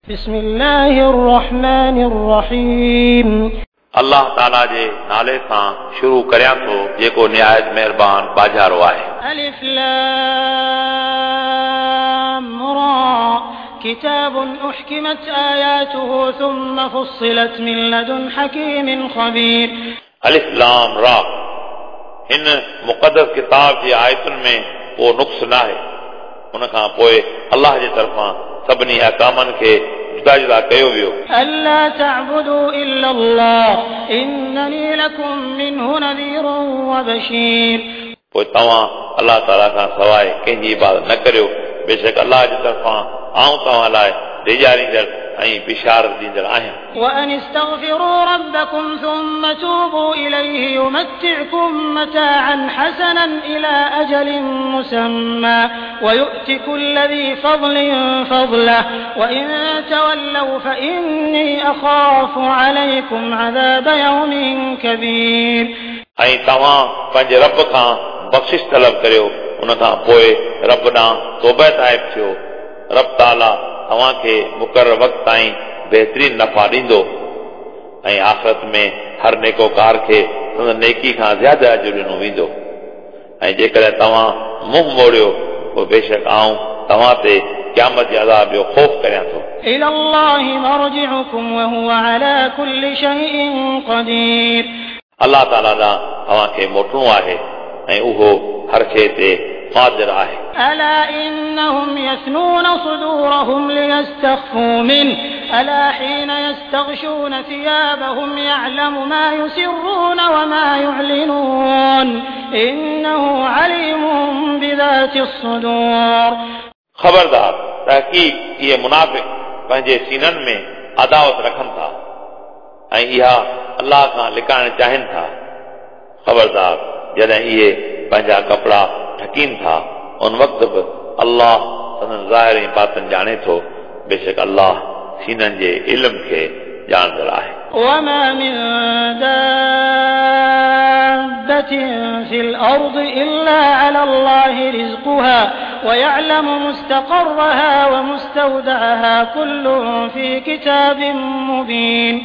بسم الله الرحمن الرحيم. अल्लाह ताला जे नाले सां शुरू करियां थो जेको निहायत महिरबान बाजारो आहे। ألف لام را كتاب أحكمت آياته ثم فصلت من لدن حكيم خبير. अलिफ लाम रा हिन मुक़दस किताब जी आयतुनि में को नुक़्स न आहे। उन खां पोइ अल्लाह जे तरफ़ां सभिनी अहकामनि खे जुदा जुदा कयो वियो। ألا تعبدوا إلا الله إنني لكم منه نذير وبشير. पोइ तव्हां अल्लाह ताला खां सवाइ कंहिंजी इबादत न करियो, बेशक अल्लाह जे तरफ़ां आउं तव्हां लाइ ॾेजारींदड़ ऐं बिशारत ॾींदड़ आहियां। وأن استغفروا ربكم ثم توبوا إليه يمتعكم متاعا حسنا إلى أجل مسمى ويؤت كل ذي فضل فضله وإن تولوا فإني أخاف عليكم عذاب يوم كبير. ऐं तव्हां पंहिंजे रब खां बख़्शिश तलब करियो, उन खां पोइ रब ॾांहुं तौबा ताइब थियो। रब ताला तव्हांखे मुक़ररु वक़्त ताईं बहितरीन नफ़ा ॾींदो ऐं आख़िरत में हर नेकोकार खे संदसि नेकी खां ज़्यादा अजु ॾिनो वेंदो। ऐं जेकॾहिं तव्हां मुंहुं मोड़ियो पोइ बेशक आउं तव्हां ते क़यामत जे अज़ाब जो ख़ौफ़ करियां थो। إلى الله مرجعكم وهو على كل شيء قدير. अल्लाह ताला ॾांहुं तव्हांखे मोटणो आहे ऐं उहो हर शइ ते क़ादिर आहे। ألا إنهم يثنون صدورهم ليستخفوا منه ألا حين يستغشون ثيابهم يعلم ما يسرون وما يعلنون إنه عليم بذات الصدور. ख़बरदार, तहक़ीक़ इहे मुनाफ़िक पंहिंजे सीननि में अदावत रखनि था ऐं इहा अल्लाह खां लिकाइण चाहिनि था। ख़बरदार, जॾहिं इहे पंहिंजा कपिड़ा ढकीनि था उन वक़्तु बि अल्लाह संदन ज़ाहिर ऐं बातिन ॼाणे थो। बेशक अल्लाह सीननि जे इल्म खे ॼाणंदड़ आहे। وما من دابة في الأرض إلا على الله رزقها ويعلم مستقرها ومستودعها كل في كتاب مبين.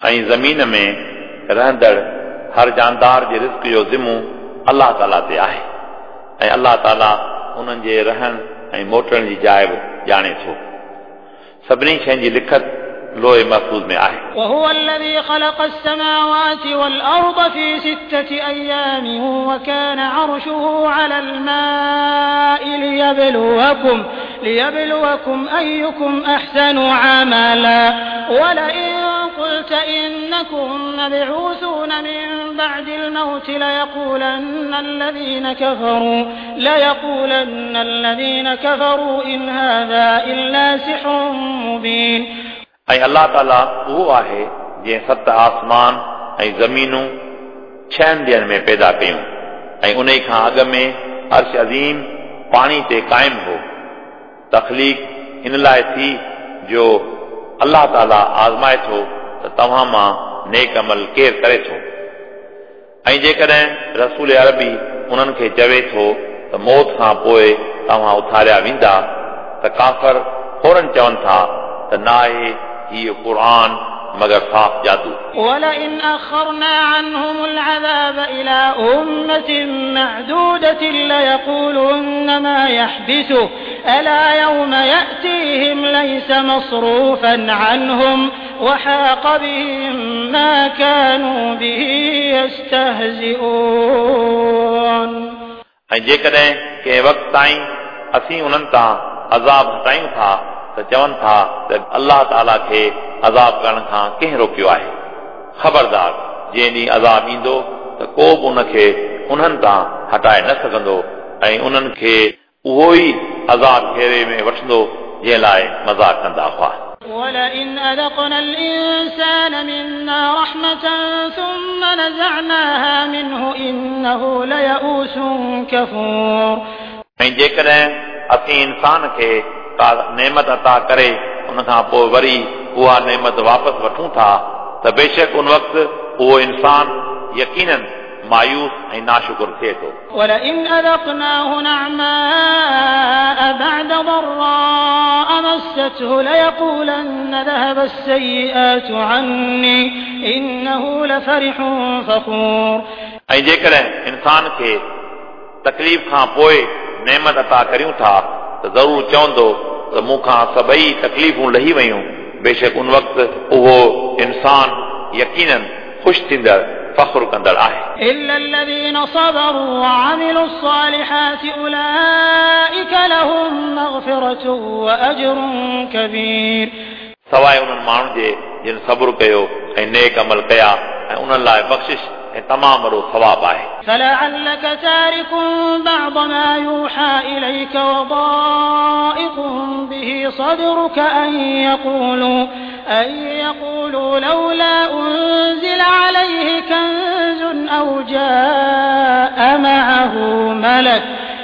ऐं ज़मीन में रहंदड़ हर जानदार जे रिज़्क जो ज़िमो अल्लाह ताला ते आहे ऐं अल्लाह ताला उन्हनि जे रहण ऐं मोटण जी जाइ बि ॼाणे थो। सभिनी शयुनि जी लिखत लोहे महफ़ूज़ में आहे। وهو الذي خلق السماوات والأرض في 6 أيام وكان عرشه على الماء ليبلوكم أيكم أحسن عملا ولئن قلت إنكم مبعوثون من بعد الموت ليقولن الذين كفروا إن هذا إلا سحر مبين. ऐं अल्लाह ताला उहो आहे जंहिं सत आसमान ऐं ज़मीनूं 6 ॾींहंनि में पैदा कयूं ऐं उन खां अॻु में अर्श अज़ीम पाणी ते क़ाइमु हो। तख़लीक़ इन लाइ थी जो अल्लाह ताला आज़माए थो त तव्हां मां नेक अमल केरु करे थो। ऐं जेकॾहिं रसूल अरबी उन्हनि खे चवे थो त मौत खां पोइ तव्हां उथारिया वेंदा त काफ़र फ़ौरन चवनि था त न आहे हीउ क़ुर मगर साफ़ जादू। ولئن أخرنا عنهم العذاب إلى أمة معدودة ليقولن ما يحبسه ألا يوم يأتيهم ليس مصروفا عنهم وحاق بهم ما كانوا به يستهزئون. ऐं जेकॾहिं कंहिं वक़्त ताईं असीं उन्हनि तां अज़ाब हटायूं था त चवनि था त अल्लाह ताला खे अज़ाब करण खां कंहिं रोकियो आहे। ख़बरदार, जंहिं ॾींहुं अज़ाब ईंदो त को बि उनखे उन्हनि तां हटाए न सघंदो ऐं उन्हनि खे उहो ई अज़ाब घेरे में वठंदो जंहिं लाइ मज़ाक कंदा हुआ। ولئن أذقنا الإنسان منا رحمة ثم نزعناها منه إنه ليئوس كفور. ऐं जेकॾहिं असीं इंसान खे का नेमत अता करे उन खां पोइ वरी उहा नेमत वापसि वठूं था त बेशक उन वक़्तु उहो इंसान यकीनन मायूस ऐं नाशुकुर थिए थो। ولئن أذقناه نعماء بعد ضراء مسته ليقولن ذهب السيئات عني إنه لفرح فخور। ऐं जेकॾहिं इंसान खे तकलीफ़ खां पोइ नेमत अता करियूं था त ज़रूरु चवंदो त मूंखां सभई तकलीफ़ूं लही वयूं। बेशक उन वक़्तु उहो इंसान यकीनन ख़ुशि थींदड़ फ़ख़्रु कंदड़ आहे। إلا الذين صبروا وعملوا الصالحات أولئك لهم مغفرة وأجر كبير। सवाइ उन्हनि माण्हुनि जे जिन सब्र कयो ऐं नेक अमल कया ऐं उन्हनि लाइ बख़्शिश ऐं तमामु वॾो सवाबु आहे। فلعلك تارك بعض ما يوحى إليك وضائق به صدرك أن يقولوا لولا أنزل عليه كنز أو جاء معه ملك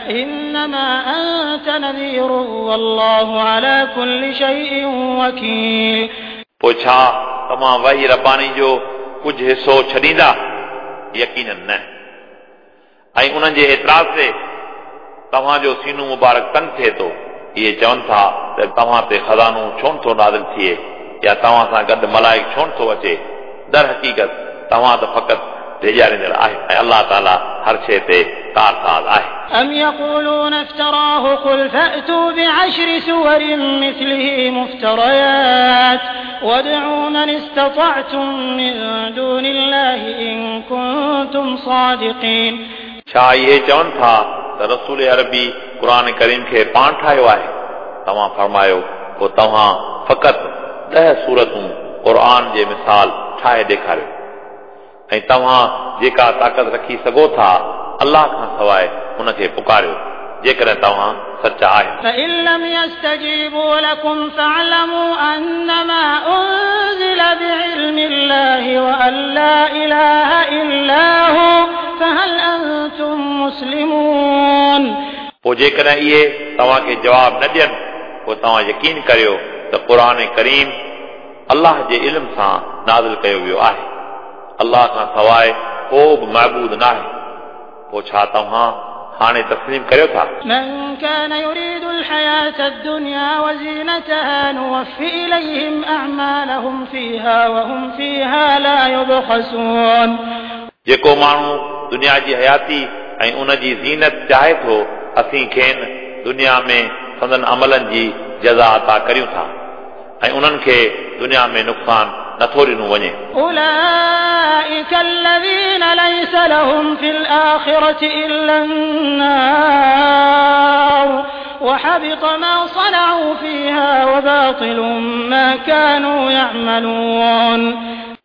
إنما أنت نذير والله على كل شيء وكيل। पोइ छा तव्हां वही रबानी जो कुझु हिसो छॾींदा? यकीनन न। ऐं उन्हनि जे एतिराज़ ते तव्हांजो सीनो मुबारक तंग थिए थो। इहे चवनि था त तव्हां ते ख़ज़ानो छो नथो नाज़िल थिए या तव्हां सां गॾु मलाइक छो नथो अचे? दर हक़ीक़त तव्हां त फ़क़ति ड्यारींदड़ आहियो ऐं अलाह ताला हर शइ ते कारसाज़ आहे। أم يقولون افتراه قل فأتوا بعشر سور مثله مفتريات وادعوا من استطعتم من دون الله إن كنتم صادقين। छा इहे चवनि था त रसूल अरबी क़ुर करीम खे पाण ठाहियो आहे? तव्हां फरमायो पोइ तव्हां फ़क़ति 10 सूरतूं क़ुर जे मिसाल ठाहे ॾेखारियो ऐं तव्हां जेका ताक़त रखी सघो था अलाह खां सवाइ उनखे पुकारियो जेकॾहिं तव्हां सचा आहियो। فإن لم يستجيبوا لكم فاعلموا أنما أنزل بعلم الله وأن لا إله إلا هو فهل أنتم مسلمون। पोइ जेकॾहिं इहे तव्हांखे जवाब न ॾियनि पोइ तव्हां यकीन करियो त क़ुर करीम अलाह जे इल्म सां नाज़िल कयो वियो आहे। अलाह खां सवाइ को बि महबूद न आहे। पोइ छा तव्हां हाणे तस्लीम करियो था? من كان يريد الحياة الدنيا وزينتها نوف إليهم أعمالهم فيها وهم فيها لا يبخسون। जेको माण्हू दुनिया जी हयाती ऐं उन जी ज़ीनत चाहे थो असीं खेनि दुनिया में संदन अमलनि जी जज़ा अता करियूं था ऐं उन्हनि खे दुनिया में नुक़सानु नथो ॾिनो वञे। أولئك الذين ليس لهم في الآخرة إلا النار وحبط ما صنعوا فيها وباطل ما كانوا يعملون।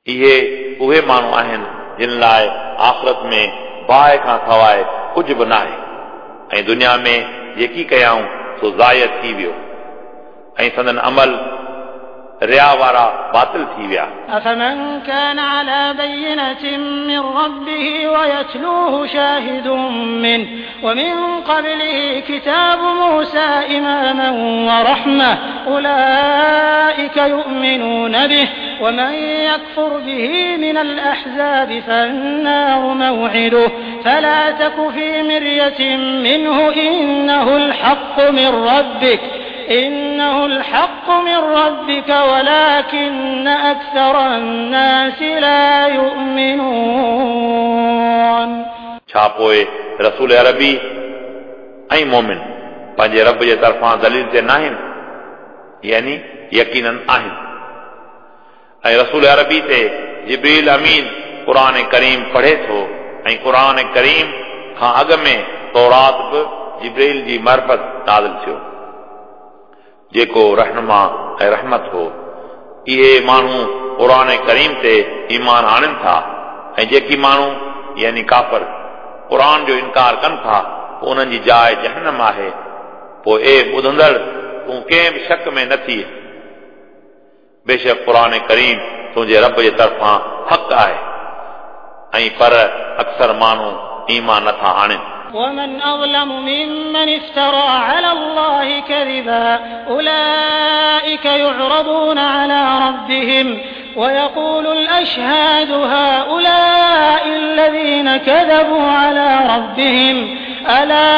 इहे उहे माण्हू आहिनि जिन लाइ आख़िरत में बाहि खां सवाइ कुझु बि न आहे ऐं दुनिया में जेकी कयाऊं सो ज़ाय थी वियो ऐं संदन अमल रिया वारा बातिल थी विया। أفمن كان على بينة من ربه ويتلوه شاهد منه ومن قبله كتاب موسى إماما ورحمة أولئك يؤمنون به ومن يكفر به من الأحزاب فالنار موعده فلا تك في مرية منه إنه الحق من ربك ولكن أكثر الناس لا يؤمنون। छा पोइ रसूल अरबी ऐं मोमिन पंहिंजे रब जे तरफ़ां दलील ते न आहिनि? यानी यकीनन आहिनि। ऐं रसूल अरबी ते जिब्रील अमीन क़ुर करीम पढ़े थो ऐं क़ुर करीम खां अॻु में तौरात बि जिब्रील जी मार्फ़त नाज़िल थियो जेको रहनुमा ऐं रहमत हो। इहे माण्हू क़ुर करीम ते ईमान आणनि था ऐं जेकी माण्हू यानी काफ़र क़ुर जो इनकार कनि था पोइ उन्हनि जी जाइ जहनम आहे। पोइ ए ॿुधंदड़ तूं कंहिं बि शक में न थी। बेशक क़ुर करीम तुंहिंजे रब जे तरफ़ां हक़ आहे ऐं पर अक्सर माण्हू ईमान नथा आणनि। ومن أظلم ممن افترى على الله كذبا أولئك يعرضون على ربهم ويقول الأشهاد هؤلاء الذين كذبوا على ربهم ألا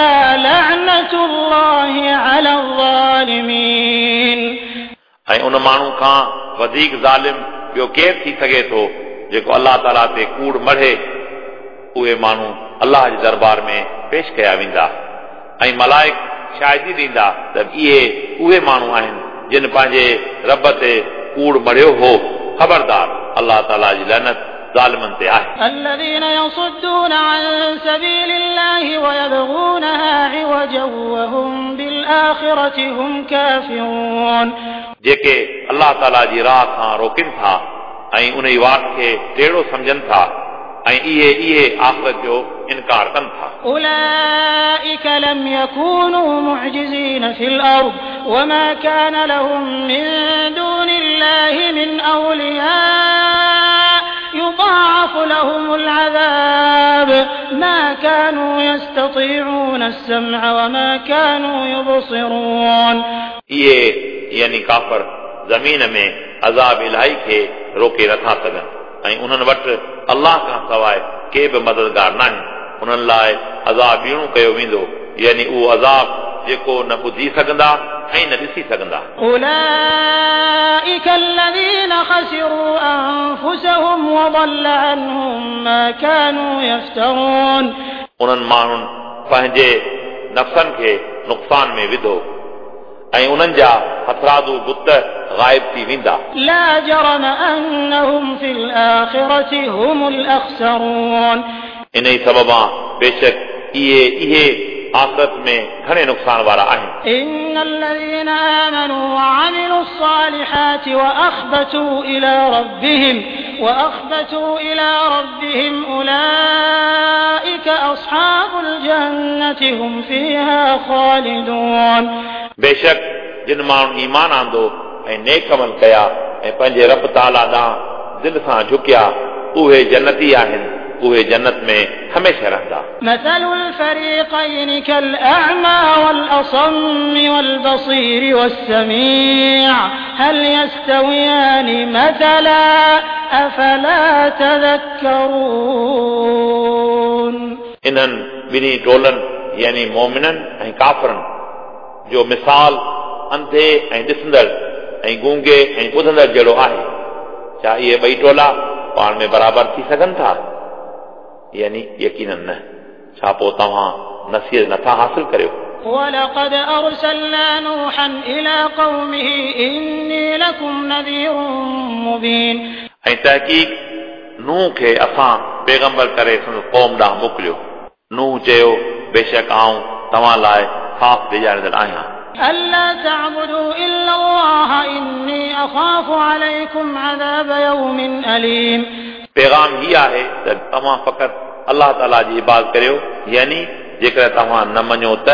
لعنة الله على الظالمين. ऐं उन माण्हू खां वधीक ज़ालिम ॿियो केरु थी सघे थो जेको अलाह ताला ते कूड़ मढ़े। उहे माण्हू अलाह जे दरबार में पेश कया वेंदा ऐं मलाइक शाहिदी ॾींदा त इहे उहे माण्हू आहिनि जिन पंहिंजे रब ते कूड़ मढ़ियो हो। ख़बरदार, अलाह ताला जी लानत ज़ालिमनि ते आहे। الذين يصدون عن سبيل الله ويبغونها عوجا وهم بالآخرة هم كافرون. जेके अलाह ताला जी राह खां रोकनि था ऐं उन ई वाट खे टेढ़ो सम्झनि था ऐं इहे इहे आख़िरत जो इनकार कनि था। أولئك لم يكونوا معجزين في الأرض وما كان لهم من دون الله من أولياء يضاعف لهم العذاب ما كانوا يستطيعون السمع وما كانوا يبصرون. इहे यानी काफ़र ज़मीन में अज़ाब इलाही खे रोके नथा सघनि ऐं उन्हनि वटि अलाह खां सवाइ के बि मददगार न आहिनि। उन्हनि लाइ अज़ाब ॿीणो कयो वेंदो, यानी उहो अज़ाब जेको न ॿुधी सघंदा ऐं न ॾिसी सघंदा। أولئك الذين خسروا أنفسهم وضل عنهم ما كانوا يفترون. उन्हनि माण्हुनि पंहिंजे नफ़्सनि खे नुक़सान में विधो ऐं उन्हनि जा हथरादू बुत ग़ाइब थी वेंदा। لا جرم أنهم في الآخرة هم الأخسرون. इन ई सबबा बेशक इहे इहे आख़िरत में घणे नुक़सान वारा आहिनि। إن الذين آمنوا وعملوا الصالحات وأخبتوا إلى ربهم أولئك أصحاب الجنة هم فيها خالدون. बेशक जिन माण्हुनि ईमान आंदो ऐं नेक अमल कया ऐं पंहिंजे रब ताला ॾांहुं दिलि सां झुकिया, उहे जन्नती आहिनि, उहे जन्नत में हमेशह रहंदा। مثل الفريقين كالأعمى والأصم والبصير والسميع هل يستويان مثلا أفلا تذكرون. इन्हनि ॿिन्ही टोलनि यानी मोमिननि ऐं काफ़रनि जो मिसाल अंधे ऐं ॾिसंदड़ ऐं गूंगे ऐं ॿुधंदड़ जहिड़ो आहे। छा इहे ॿई टोला पाण में बराबरि थी सघनि था? यानी यकीनन न। छा पोइ तव्हां नसीहत नथा हासिल करियो? ولقد أرسلنا نوحا إلى قومه إني لكم نذير مبين. ऐं तहक़ीक़ नूह खे असां पैगंबर करे संदसि क़ौम ॾांहुं मोकिलियो। नूह चयो, बेशक आउं तव्हां लाइ साफ़ ॾिजारींदड़ आहियां। ألا تعبدوا إلا الله إني أخاف عليكم عذاب يوم أليم. पैगाम ही आहे त तव्हां फ़क़ति अलाह ताला जी इबादत करियो, यानी जेकॾहिं तव्हां न मञो त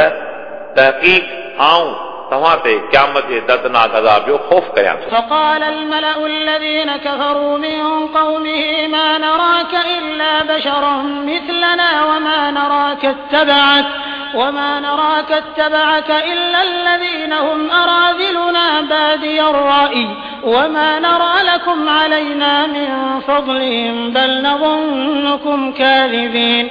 तहक़ीक़ आउं तव्हां ते क़यामत जे दर्दनाक अज़ाब जो ख़ौफ़ करियां थो। فقال الملأ الذين كفروا من قومه ما نراك إلا بشرا مثلنا وما نراك اتبعك إلا الذين هم أراذلنا بادي الرأي وما نرى لكم علينا من فضل بل نظنكم كاذبين.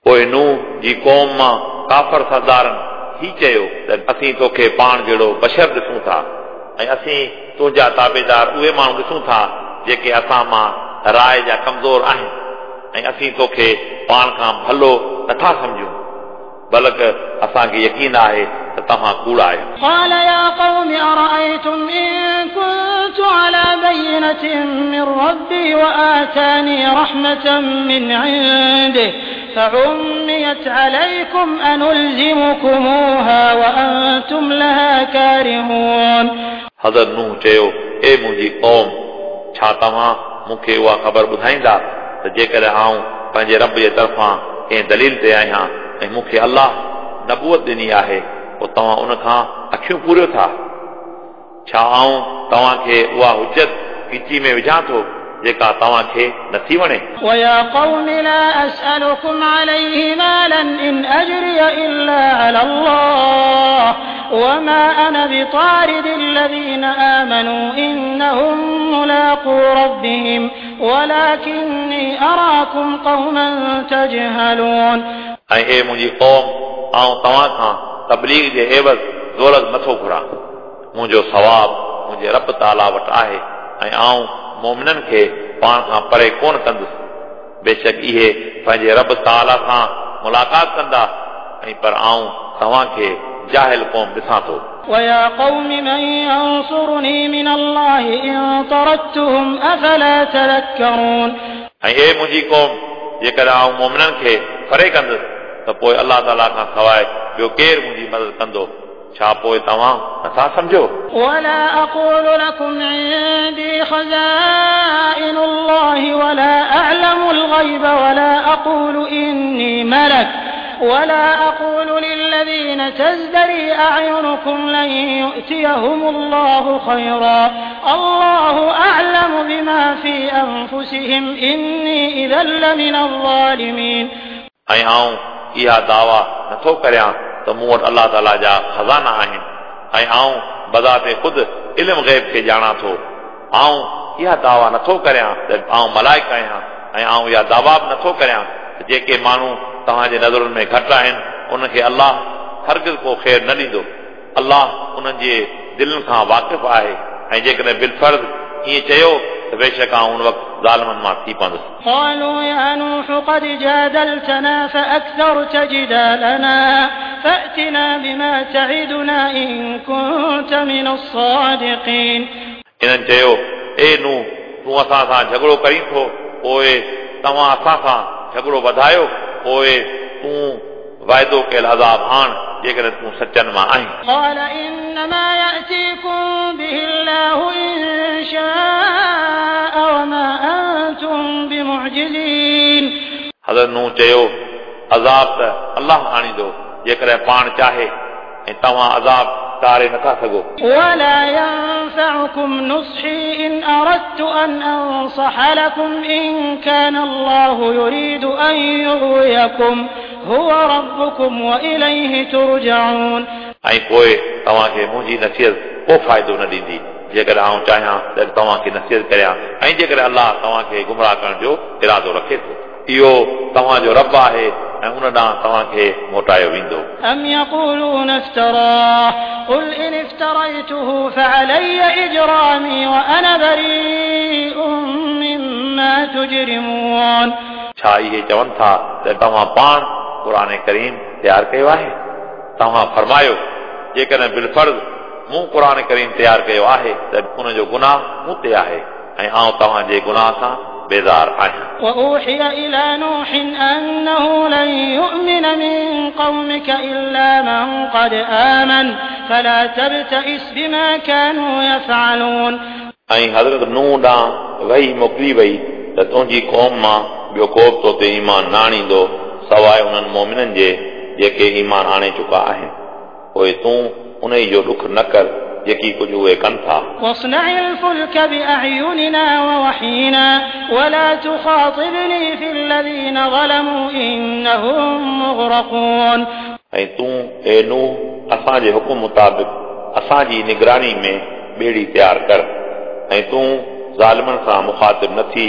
पोइ नूह जी क़ौम मां काफ़र सरदारनि ही चयो त असीं तोखे पाण जहिड़ो बशर ॾिसूं था ऐं असीं तुंहिंजा ताबेदार उहे माण्हू ॾिसूं था जेके असां मां राय जा कमज़ोर आहिनि ऐं असीं तोखे पाण खां भलो नथा सम्झूं, बल्कि असांखे यकीन आहे त तव्हां कूड़ा आहियो। قال يا قوم أرأيتم إن كنت على بينة من ربي وآتاني رحمة من عنده فعميت عليكم أنلزمكموها وأنتم لها كارهون. हज़रत नूह चयो, ए मुंहिंजी क़ौम, छा तव्हां मूंखे उहा ख़बर ॿुधाईंदा त जेकॾहिं आउं पंहिंजे रब जे तरफ़ां कंहिं दलील ते आहियां ऐं मूंखे अलाह नबूअत ॾिनी आहे, पोइ तव्हां उन खां अखियूं पूरियो था? छा आउं तव्हांखे उहा हुजत ॻिची में विझां थो जेका तव्हांखे नथी वणे? ويا قوم لا أسألكم عليه مالا إن أجري إلا على الله وما أنا بطارد الذين آمنوا إنهم ملاقو ربهم ولكني أراكم قوما تجهلون. ऐं हे मुंहिंजी क़ौम, आउं तव्हां खां तबलीग जे एवज़ दौलत नथो घुरां। मुंहिंजो सवाब मुंहिंजे रब ताला वटि आहे ऐं आउं मोमिननि खे पाण खां परे कोन कंदुसि। बेशक इहे पंहिंजे रब ताला सां मुलाक़ात कंदा ऐं पर आउं तव्हांखे जाहिल क़ौम ॾिसां थो। ويا قوم من ينصرني من الله إن طردتهم أفلا تذكرون. ऐं हे मुंहिंजी क़ौम, जेकॾहिं आउं मोमिननि खे परे कंदुसि त पोइ अलाह ताला खां सवाइ ॿियो केरु मुंहिंजी मदद कंदो? छा पोइ तव्हां नथा सम्झो? ولا أقول لكم عندي خزائن الله ولا أعلم الغيب ولا أقول إني ملك ولا أقول للذين تزدري أعينكم لن يؤتيهم الله خيرا الله أعلم بما في أنفسهم إني إذا لمن الظالمين. ऐं आउं इहा दावा नथो करियां त मूं वटि अलाह ताला जा ख़ज़ाना आहिनि ऐं आउं बज़ाते ख़ुदि इल्म ग़ैब खे ॼाणां थो। आउं इहा दावा नथो करियां त आउं मलाइक आहियां ऐं आउं इहा दावा बि नथो करियां त जेके माण्हू तव्हांजे नज़रुनि में घटि आहिनि उन्हनि अलाह हरगिज़ को ख़ैर न ॾींदो। अलाह उन्हनि जे दिलनि खां वाक़िफ़ आहे ऐं जेकॾहिं बिलफ़र्ज़ ईअं चयो त बेशक आउं उन वक़्तु ज़ालिमनि मां थी पवंदुसि। قالوا يا نوح قد جادلتنا فأكثرت جدالنا فأتنا بما تعدنا إن كنت من الصادقين. इन्हनि चयो, ए नूह, तूं असां सां झगड़ो करीं थो, पोइ तव्हां असां सां झगड़ो वधायो, पोइ तूं वाइदो कयल अज़ाब आण जेकॾहिं तूं सचनि मां आहीं। قال إنما يأتيكم به الله إن شاء وما أنتم بمعجزين. हज़रत नूह चयो, अज़ाब त अलाह आणींदो जेकॾहिं पाण चाहे ऐं तव्हां अज़ाब टारे नथा सघो। ولا ينفعكم نصحي إن أردت أن أنصح لكم إن كان الله يريد أن يغويكم هو ربكم وإليه ترجعون. ऐं पोइ तव्हांखे मुंहिंजी नसीहत को फ़ाइदो न ॾींदी जेकॾहिं आउं चाहियां त तव्हांखे नसीहत करियां ऐं जेकॾहिं अलाह तव्हांखे गुमराह करण जो इरादो रखे थो। इहो तव्हांजो रब आहे ऐं उन ॾांहुं तव्हांखे मोटायो वेंदो। أم يقولون افتراه قل إن افتريته فعلي إجرامي وأنا بريء مما تجرمون. छा इहे चवनि था त तव्हां पाण क़ुर करीम तयारु कयो आहे? तव्हां फरमायो, जेकॾहिं बिलफ़र्ज़ मूं क़ुर करीम तयारु कयो आहे त उनजो गुनाह मूं ते आहे ऐं आउं तव्हांजे गुनाह सां बेज़ार आहियां। وأوحي إلى نوح أنه لن يؤمن من قومك إلا من قد آمن فلا تبتئس بما كانوا يفعلون. ऐं हज़रत नूह ॾांहुं वही मोकिली वई त तुंहिंजी क़ौम मां ॿियो को बि तो ते ईमान न आणींदो सवाइ उन्हनि मोमिननि जे जेके ईमान आणे चुका आहिनि। पोइ तूं उन जो ॾुख न कर जेकी कुझु उहे कनि था। واصنع الفلك بأعيننا ووحينا ولا تخاطبني في الذين ظلموا إنهم مغرقون. ऐं तूं ए नूह असांजे हुकुम मुताबिक़ असांजी निगरानी में ॿेड़ी तयारु कर ऐं तूं ज़ालिमनि सां मुखातिब न थी,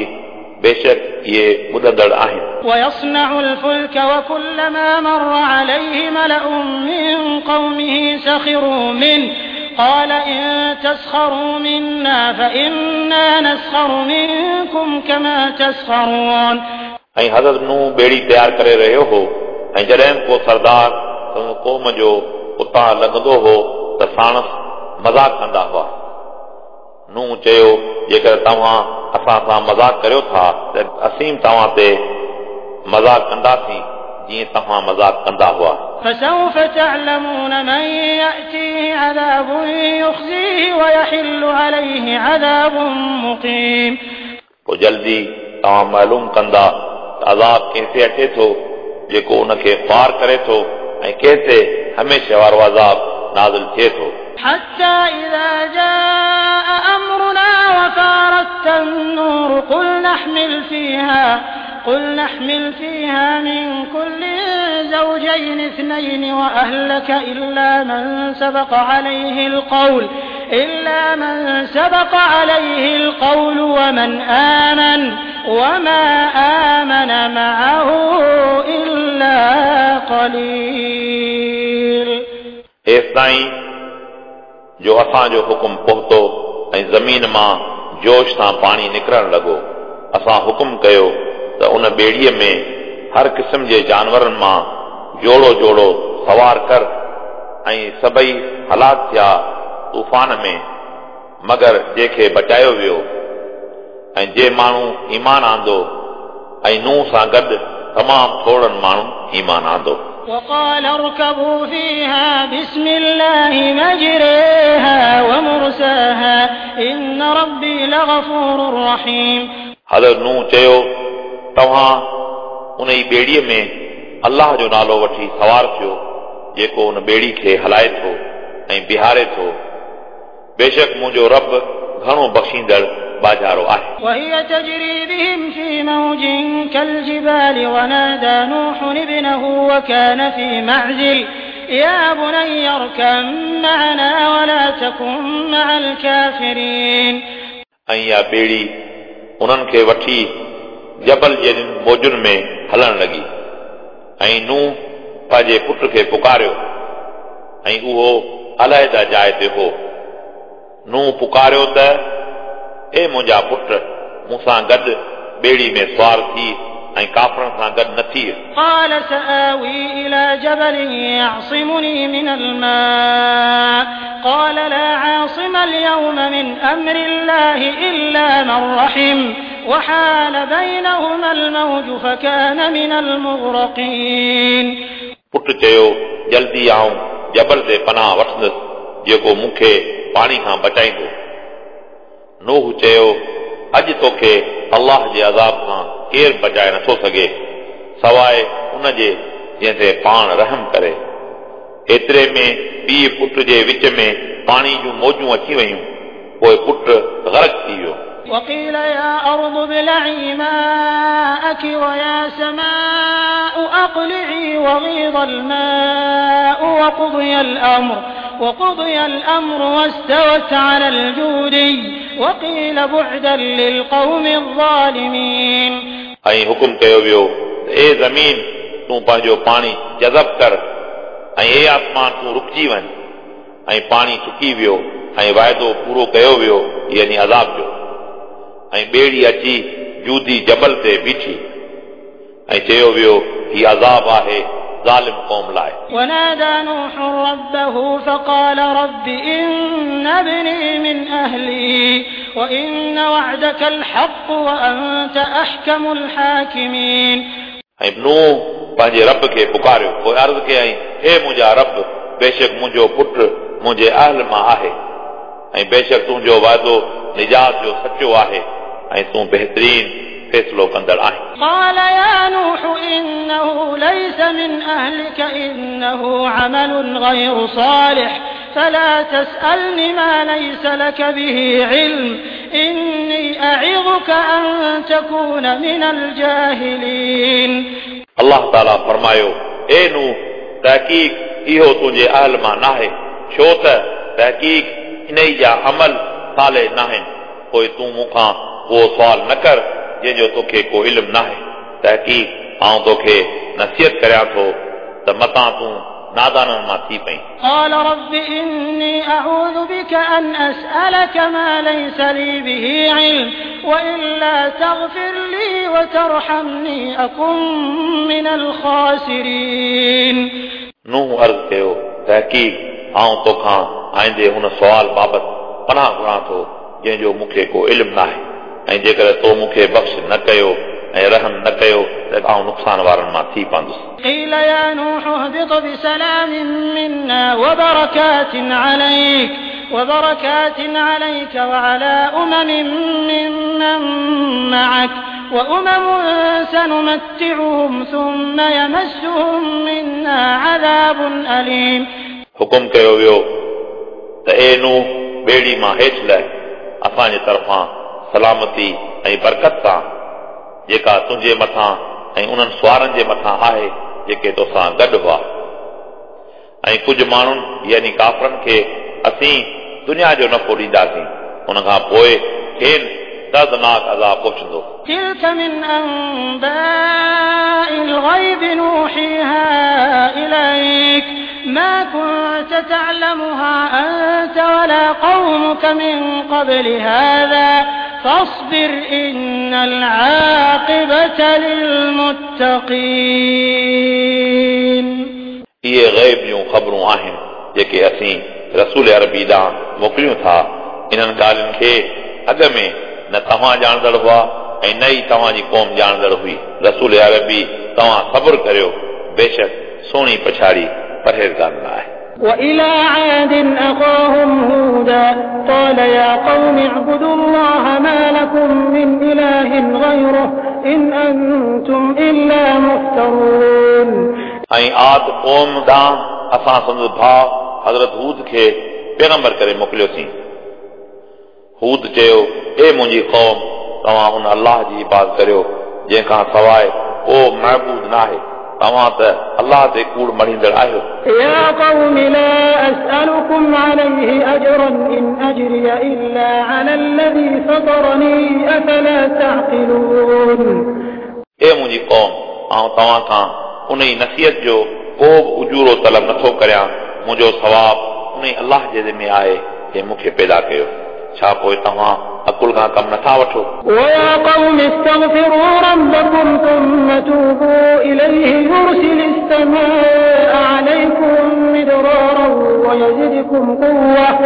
बेशक इहे ॿुधंदड़ आहिनि। ويصنع الفلك وكلما مر عليه ملأ من قومه سخروا منه قال إن تسخروا منا فإنا نسخر منكم كما تسخرون. ऐं हज़रत नूह ॿेड़ी तयारु करे रहियो हो ऐं जॾहिं को सरदार क़ौम जो उतां लॻंदो हो त साणसि मज़ाक कंदा हुआ। नूह चयो, जेकर तव्हां असां सां मज़ाक करियो था त असीं तव्हां ते मज़ाक कंदासीं जीअं तव्हां मज़ाक कंदा हुआ। فسوف تعلمون من يأتيه عذاب يخزيه ويحل عليه عذاب مقيم. पोइ जल्दी तव्हां मालूम कंदा त अज़ाब कंहिं ते अचे थो जेको उनखे ख़्वार करे थो ऐं कंहिं ते हमेशह वारो अज़ाब नाज़िल थिए थो। حتى إذا جاء أمرنا وفارت النور قل نحمل فيها من كل زوجين اثنين وأهلك إلا من سبق عليه القول إلا من سبق عليه القول ومن آمن وما آمن معه إلا قليل. एसिताईं जो असांजो हुकुम पहुतो ऐं ज़मीन मां जोश सां पाणी निकिरणु लॻो। असां हुकुम कयो त उन ॿेड़ीअ में हर क़िस्म जे जानवरनि मां जोड़ो जोड़ो सवार कर ऐं सभई हलाक थिया तूफ़ान में, मगर जंहिंखे बचायो वियो ऐं जे माण्हू ईमान आंदो ऐं नूह सां गॾु तमामु थोरनि माण्हुनि ईमान आंदो। وقال اركبوا فيها بسم الله مجريها ومرساها إن ربي لغفور رحيم. हज़रत नूह चयो, तव्हां उन ई ॿेड़ीअ में अल्लाह जो नालो वठी सवार थियो जेको उन ॿेड़ी खे हलाए थो ऐं बीहारे थो। बेशक मुंहिंजो रब घणो बख़्शींदड़ बाजारो आहे। وهي تجري بهم في موج كالجبال ونادى نوح ابنه وكان في معزل يا بني اركب معنا ولا تكن مع الكافرين. ऐं इहा ॿेड़ी उन्हनि खे वठी जबल जहिड़ियुनि मौजुनि में हलणु लॻी ऐं नूह पंहिंजे पुट खे पुकारियो ऐं उहो अलाहिदा जाइ ते हो। नूह पुकारियो त ए मुंहिंजा पुट, मूंसां गॾु ॿेड़ी में सवार थी ऐं काफ़रनि सां गॾु न थी। قال سآوي إلى جبل يعصمني من الماء قال لا عاصم اليوم من أمر الله إلا من رحم وحال بينهما الموج فكان من المغرقين. पुट चयो, जल्दी आऊं जबल ते पनाह वठंदुसि जेको मूंखे पाणी खां बचाईंदो। नूह चयो, अॼु तोखे अल्लाह जे अज़ाब खां केरु बचाए नथो सघे सवाइ उन जे जंहिं ते पाण रहम करे। एतिरे में पीउ पुट जे विच में पाणी जूं मौजूं अची वयूं, पोइ पुट गर्क थी वियो। وقيل يا أرض ابلعي ماءك ويا سماء أقلعي وغيض الماء وقضي الأمر واستوت على الجودي وقيل بعدا للقوم الظالمين. ऐं हुकुम कयो वियो त ए ज़मीन, तूं पंहिंजो पाणी जज़ब कर ऐं ए आसमान, तूं रुकिजी वञ। ऐं पाणी सुकी वियो ऐं वाइदो पूरो कयो वियो, यानी अज़ाब जो। ऐं ॿेड़ी अची जूदी जबल ते बीठी ऐं चयो वियो, हीउ अज़ाब आहे ज़ालिम क़ौम लाइ। ونادى نوح ربه فقال رب إن ابني من أهلي وإن وعدك الحق وأنت أحكم الحاكمين. ऐं नूह पंहिंजे रब खे पुकारियो, पोइ अर्ज़ कयईं, हे मुंहिंजा रब, बेशक मुंहिंजो पुट मुंहिंजे अहल मां आहे ऐं बेशक तुंहिंजो वाइदो निजात जो सचो आहे ऐं तूं बहितरीन फ़ैसिलो कंदड़ आहीं। قال يا نوح إنه ليس من أهلك إنه عمل غير صالح فلا تسألني ما ليس لك به علم إني أعظك أن تكون من الجاهلين. अल्लाह ताला फरमायो, ए नूह, तहक़ीक़ इहो तुंहिंजे अहल मां नाहे, छो त तहक़ीक़ इन जा अमल साले नाहिनि। पोइ तूं मूंखां उहो सुवाल न कर जंहिंजो तोखे को इल्मु नाहे। तहक़ीक़ आउं तोखे नसीहत करियां थो त मतां तूं नादाननि मां थी पई। قال رب إني أعوذ بك أن أسألك ما ليس لي به علم وإلا تغفر لي وترحمني أكن من الخاسرين. नूह अर्ज़ कयो, तहक़ीक़ आउं तोखां आईंदे हुन सुवाल बाबति पनाह घुरां थो जंहिंजो मूंखे को इल्मु नाहे, ऐं जेकॾहिं तो मूंखे बख़्श न कयो ऐं रहम न कयो त आउं नुक़सान वारनि मां थी पवंदुसि। قيل يا نوح اهبط بسلام منا وبركات عليك وعلى أمم ممن معك وأمم سنمتعهم ثم يمسهم منا عذاب أليم. हुकुम कयो वियो त ए नूह, ॿेड़ी मां हेठि लह, असांजे तरफ़ां सलामती ऐं बरकत सां जेका तुंहिंजे मथां ऐं उन्हनि सुवारनि जे मथां आहे जेके तोसां गॾु हुआ। ऐं कुझु माण्हुनि यानी काफ़रनि खे असीं दुनिया जो नफ़ो ॾींदासीं, उन खां पोइ खेनि दर्दनाक अज़ाब पहुचंदो। تلك من أنباء الغيب نوحيها إليك ما كنت تعلمها أنت ولا قومك من قبل هذا فاصبر إن العاقبة للمتقين। इहे ग़ैब जूं ख़बरूं आहिनि जेके असीं रसूल अरबी ॾांहुं मोकिलियूं था। इन्हनि ॻाल्हियुनि खे अॻ में न तव्हां ॼाणंदड़ हुआ ऐं न ई तव्हांजी क़ौम ॼाणंदड़ हुई। रसूल अरबी तव्हां सब्र करियो, बेशक सुहिणी पछाड़ी परहेज़गार आहे। وإلى عاد أخاهم هودا قال يا قوم اعبدوا الله ما لكم من إله غيره إن أنتم إلا مفترون। ऐं आद क़ौम ॾांहुं असां संदसि भाउ हज़रत हूद खे पैगंबर करे मोकिलियोसीं। हूद चयो, ए मुंहिंजी क़ौम, तव्हां उन अलाह जी इबादत करियो जंहिंखां सवाइ को महबूद न आहे, तव्हां त अलाह ते कूड़ मढ़ींदड़ आहियो। يا قوم لا أسألكم عليه أجرا إن أجري إلا على الذي فطرني أفلا تعقلون। ए मुंहिंजी क़ौम, आउं तव्हां खां उन ई नसीहत जो को बि उजूरो तलब नथो करियां, मुंहिंजो सवाब उन ई अलाह जे ज़िमे आहे जंहिं मूंखे पैदा कयो। छा पोइ तव्हां अकुल खां कमु नथा वठो? ويا قوم استغفروا ربكم ثم توبوا إليه يرسل السماء عليكم مدرارا ويزدكم قوة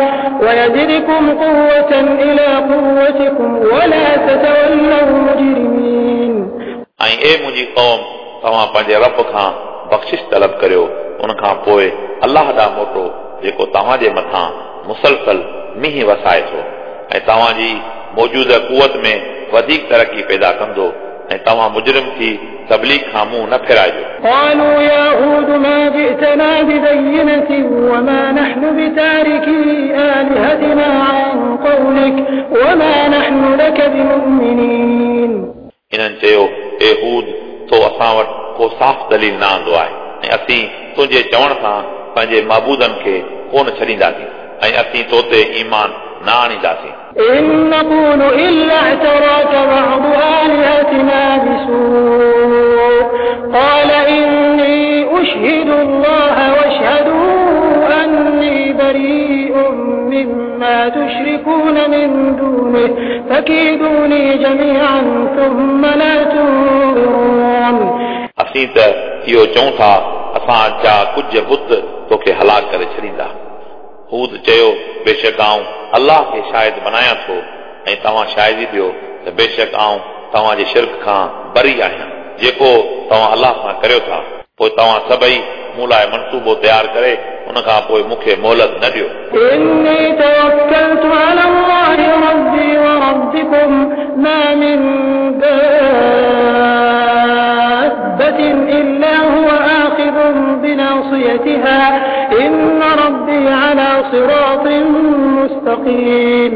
إلى قوتكم ولا تتولوا مجرمين। ऐं ए मुंहिंजी क़ौम, तव्हां पंहिंजे रब खां बख़्शिश तलब करियो, उन खां पोइ अलाह ॾांहुं मोटो जेको तव्हांजे मथां मुसलसल मींहुं वसाए थो ऐं तव्हांजी मौजूदा कुवत में वधीक तरक़ी पैदा कंदो, ऐं तव्हां मुजरिम थी तबलीग खां मुंहुं न फेराइजो। قالوا يا هود ما جئتنا ببينة وما نحن بتاركي آلهتنا عن قولك وما نحن لك بمؤمنين। इन्हनि चयो, ए हूद, तो असां वटि को साफ़ दलील न आंदो आहे ऐं असीं तुंहिंजे चवण सां पंहिंजे महबूदनि खे कोन छॾींदासीं ऐं असीं तो ते ईमान न आणींदासीं। إن نقول إلا اعتراك بعض آلهتنا بسوء قال إني أشهد الله واشهدوا أني بريء مما تشركون من دونه فكيدوني جميعا ثم لا تنظرون। असीं त इहो चऊं था, असां जा कुझु बुत तोखे हलाक करे छॾींदा। हूद चयो, बेशक आउं अलाह खे शाहिद बनायां थो ऐं तव्हां शाहिदी ॾियो त बेशक आउं तव्हांजे शिर्क खां बरी आहियां जेको तव्हां अलाह सां करियो था। पोइ तव्हां सभई मूं लाइ मनसूबो तयारु करे उन खां पोइ मूंखे मोहलत न ॾियो। إني توكلت على الله ربي وربكم ما من دابة إلا هو آخذ بناصيتها إن ربي على صراط مستقيم।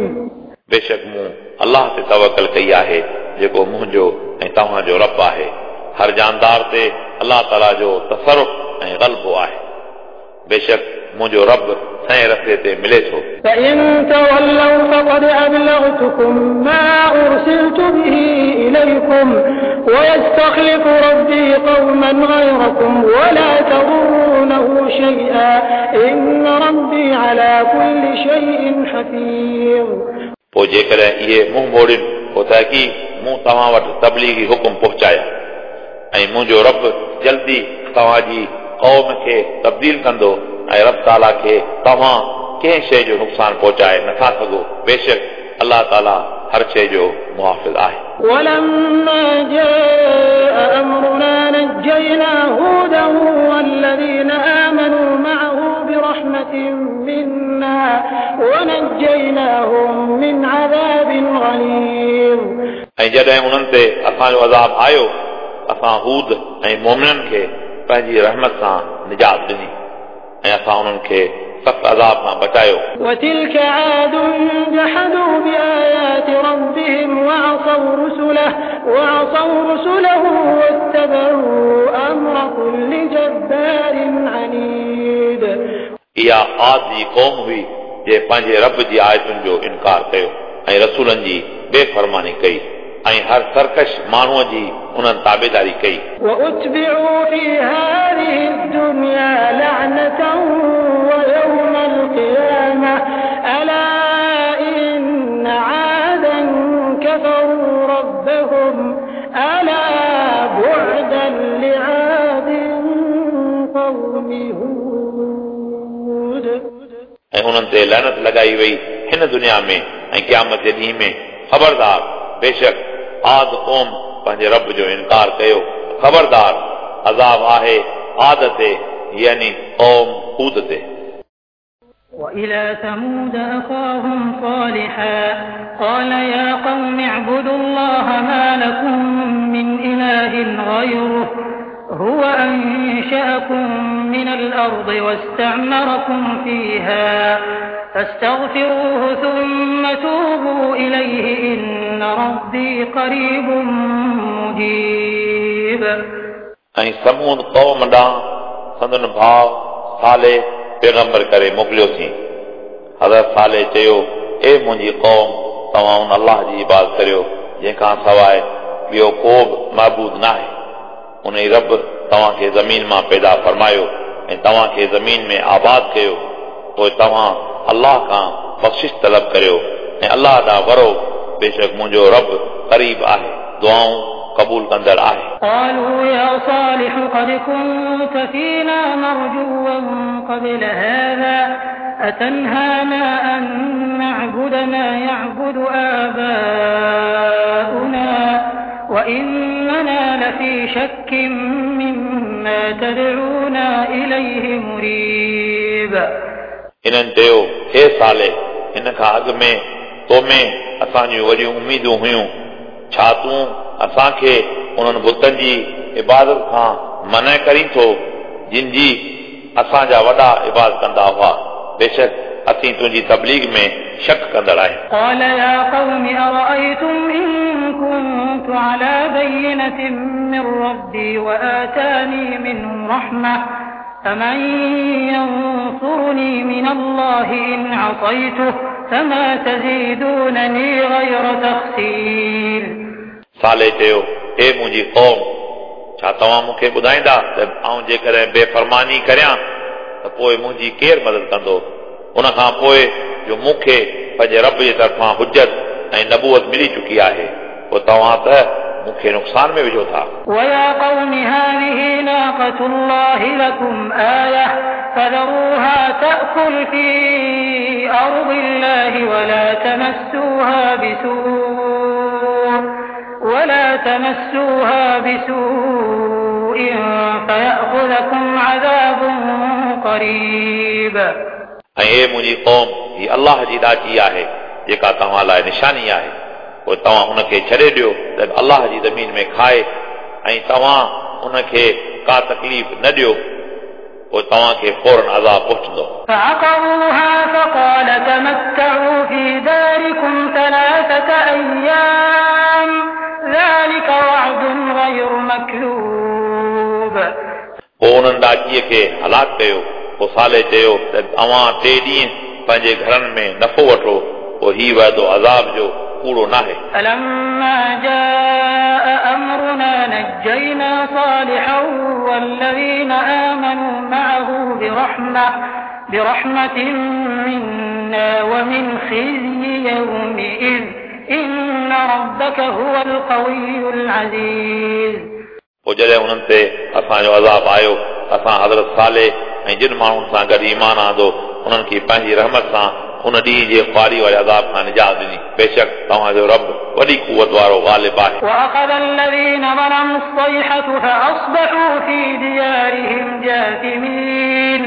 बेशक मूं अलाह ते तवकल कई आहे जेको मुंहिंजो ऐं तव्हांजो रब आहे। हर जानदार ते अलाह ताला जो तसरुफ़ ऐं ग़लबो आहे। बेशक मुंहिंजो रब सही रस्ते ते मिले थो। فإن تولوا فقد أبلغتكم ما أرسلت به إليكم ويستخلف ربي قوما غيركم ولا تضرونه شيئا إن ربي على كل شيء حفيظ। पोइ जेकॾहिं इहे मुंहुं मोड़नि पोइ तहक़ीक़ मूं तव्हां वटि तबलीगी हुकुम पहुचाया ऐं मुंहिंजो रब जल्दी तव्हांजी क़ौम खे तब्दील कंदो ऐं रब ताला खे तव्हां कंहिं शइ जो नुक़सानु पहुचाए नथा सघो। बेशक अलाह ताला हर शइ जो मुहाफ़िज़ आहे। ولما جاء أمرنا نجينا هودا والذين آمنوا معه برحمة منا ونجيناهم من عذاب غليظ। ऐं जॾहिं उन्हनि ते असांजो अज़ाब आयो, असां हूद ऐं मोमिननि खे पंहिंजी रहमत सां निजात ॾिनी ऐं असां उन्हनि खे सख़्त अज़ाब खां बचायो। وتلك عاد جحدوا بآيات ربهم وعصوا رسله واتبعوا أمر كل جبار عنيد। इहा आद जी क़ौम हुई जंहिं पंहिंजे रब जी आयतुनि जो इनकार कयो ऐं रसूलनि जी बेफरमानी कई ऐं हर सरकश माण्हूअ जी उन्हनि ताबेदारी कई। وأتبعوا في هذه الدنيا لعنة ويوم القيامة ألا إن عادا كفروا ربهم ألا بعدا لعاد قوم هود। ऐं उन्हनि ते लानत लॻाई वई हिन दुनिया में ऐं क़यामत जे ॾींहं में। ख़बरदार, बेशक आद क़ौम पंहिंजे रब जो इनकार कयो। ख़बरदार, अज़ाब आहे आद ते, यानी क़ौम हूद ते। وإلى ثمود أخاهم صالحا قال يا قوم اعبدوا الله ما لكم من إله غيره هو أنشأكم من الأرض واستعمركم فيها فاستغفروه ثم توبوا إليه إن ربي قريب مجيب। ऐं समूद क़ौम ॾांहुं संदन भाउ साले पैगंबर करे मोकिलियोसीं। हज़रत साले चयो, ए मुंहिंजी क़ौम, तव्हां उन अल्लाह जी इबादत करियो जंहिंखां सवाइ ॿियो को बि महबूद न आहे। उन ई रब तव्हांखे ज़मीन मां पैदा फरमायो ऐं तव्हांखे ज़मीन में आबाद कयो। पोइ तव्हां अल्लाह खां बख़्शिश तलब करियो ऐं अल्लाह ॾांहुं वरो। बेशक मुंहिंजो रब क़रीब आहे, दुआऊं क़बूल कंदड़ आहे। قالوا يا صالح قد كنت فينا مرجوا قبل هذا أتنهانا أن نعبد ما يعبد آباؤنا وإننا لفي شك مما تدعونا إليه مريب। हिननि चयो, हे साले, हिन खां अॻु में तो में असांजूं वॾियूं उमेदूं हुयूं। छा तूं असांखे उन्हनि बुतनि जी इबादत खां मना करीं थो जिन जी असांजा वॾा इबादत कंदा हुआ? बेशक असीं तुंहिंजी तबलीग में शक कंदड़ आहियूं। قال يا قوم أرأيتم إن كنت على بينة من ربي وآتاني منه رحمة فمن ينصرني من الله إن عصيته فما تزيدونني غير تخسير। साले चयो, हे मुंहिंजी क़ौम, छा तव्हां मूंखे ॿुधाईंदा त आउं जेकॾहिं बेफरमानी करियां त पोइ मुंहिंजी केरु मदद कंदो? उन खां पोइ जो मूंखे पंहिंजे रब जे तरफ़ां हुजत ऐं नबूअत मिली चुकी आहे, पोइ तव्हां त मूंखे नुक़सान में विझो था। ويا قوم هذه ناقة الله لكم آية فذروها تأكل في أرض الله ولا تمسوها بسوء فيأخذكم عذاب قريب। ऐं हे मुंहिंजी क़ौम, हीअ अल्लाह जी ॾाची आहे जेका तव्हां लाइ निशानी आहे। पोइ तव्हां उनखे छॾे ॾियो त अल्लाह जी ज़मीन में खाए ऐं तव्हां उनखे का तकलीफ़ न ॾियो, पोइ तव्हांखे फ़ौरन अज़ाब पहुचंदो। فعقروها فقال تمتعوا في داركم 3 أيام ذلك وعد غير مكذوب। पोइ उन्हनि ॾाचीअ खे हलाक कयो। पोइ साले चयो त अव्हां 3 ॾींहं पंहिंजे घरनि में नफ़ो वठो, पोइ हीउ वाइदो अज़ाब जो कूड़ो नाहे। فلما جاء أمرنا نجينا صالحا والذين آمنوا معه برحمة منا ومن خزي يومئذ إن ربك هو القوي العزيز। पोइ जॾहिं उन्हनि ते असांजो अज़ाब आयो, असां हज़रत साले ऐं जिन माण्हुनि सां गॾु ईमान आंदो उन्हनि खे पंहिंजी रहमत सां उन ॾींहं जे ख़्वारी वारे अज़ाब खां निजात ॾिनी। बेशक तव्हांजो रब वॾी कुवत वारो ग़ालिब आहे। وأخذ الذين ظلموا الصيحة فأصبحوا في ديارهم جاثمين।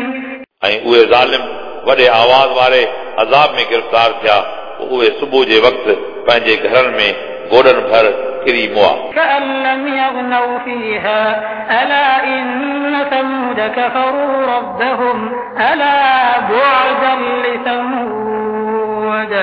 ऐं उहे ज़ालिम वॾे आवाज़ वारे अज़ाब में गिरफ़्तार थिया। पोइ उहे सुबुह जे वक़्तु पंहिंजे घरनि में गोॾनि भर किरी मुआ। كأن لم يغنوا فيها ألا إن ثمود كفروا ربهم ألا بعدا لثمود।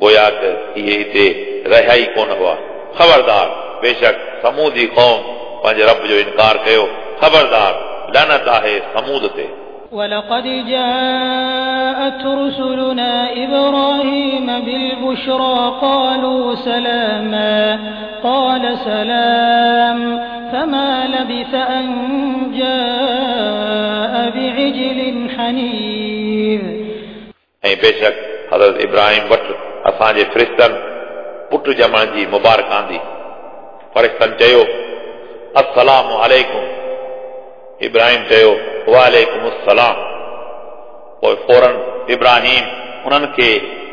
गोया त इहे हिते रहिया ई कोन हुआ। ख़बरदार, बेशक समूदी क़ौम पंहिंजे रब जो इनकार कयो। ख़बरदार, लानत आहे समूद ते। ولقد جاءت رسلنا إبراهيم بالبشرى قالوا سلاما قال سلام فما لبث أن جاء بعجل حنيذ. ऐं बेशक हज़रत इब्राहिम वटि असांजे फ़रिश्तनि पुट ॼमण जी मुबारक आंदी। फ़रिश्तनि चयो अस्सलामु अलैकुम। इब्राहिम चयो वालेकुम अस्सलाम। पोइ फ़ौरन इब्राहिम उन्हनि खे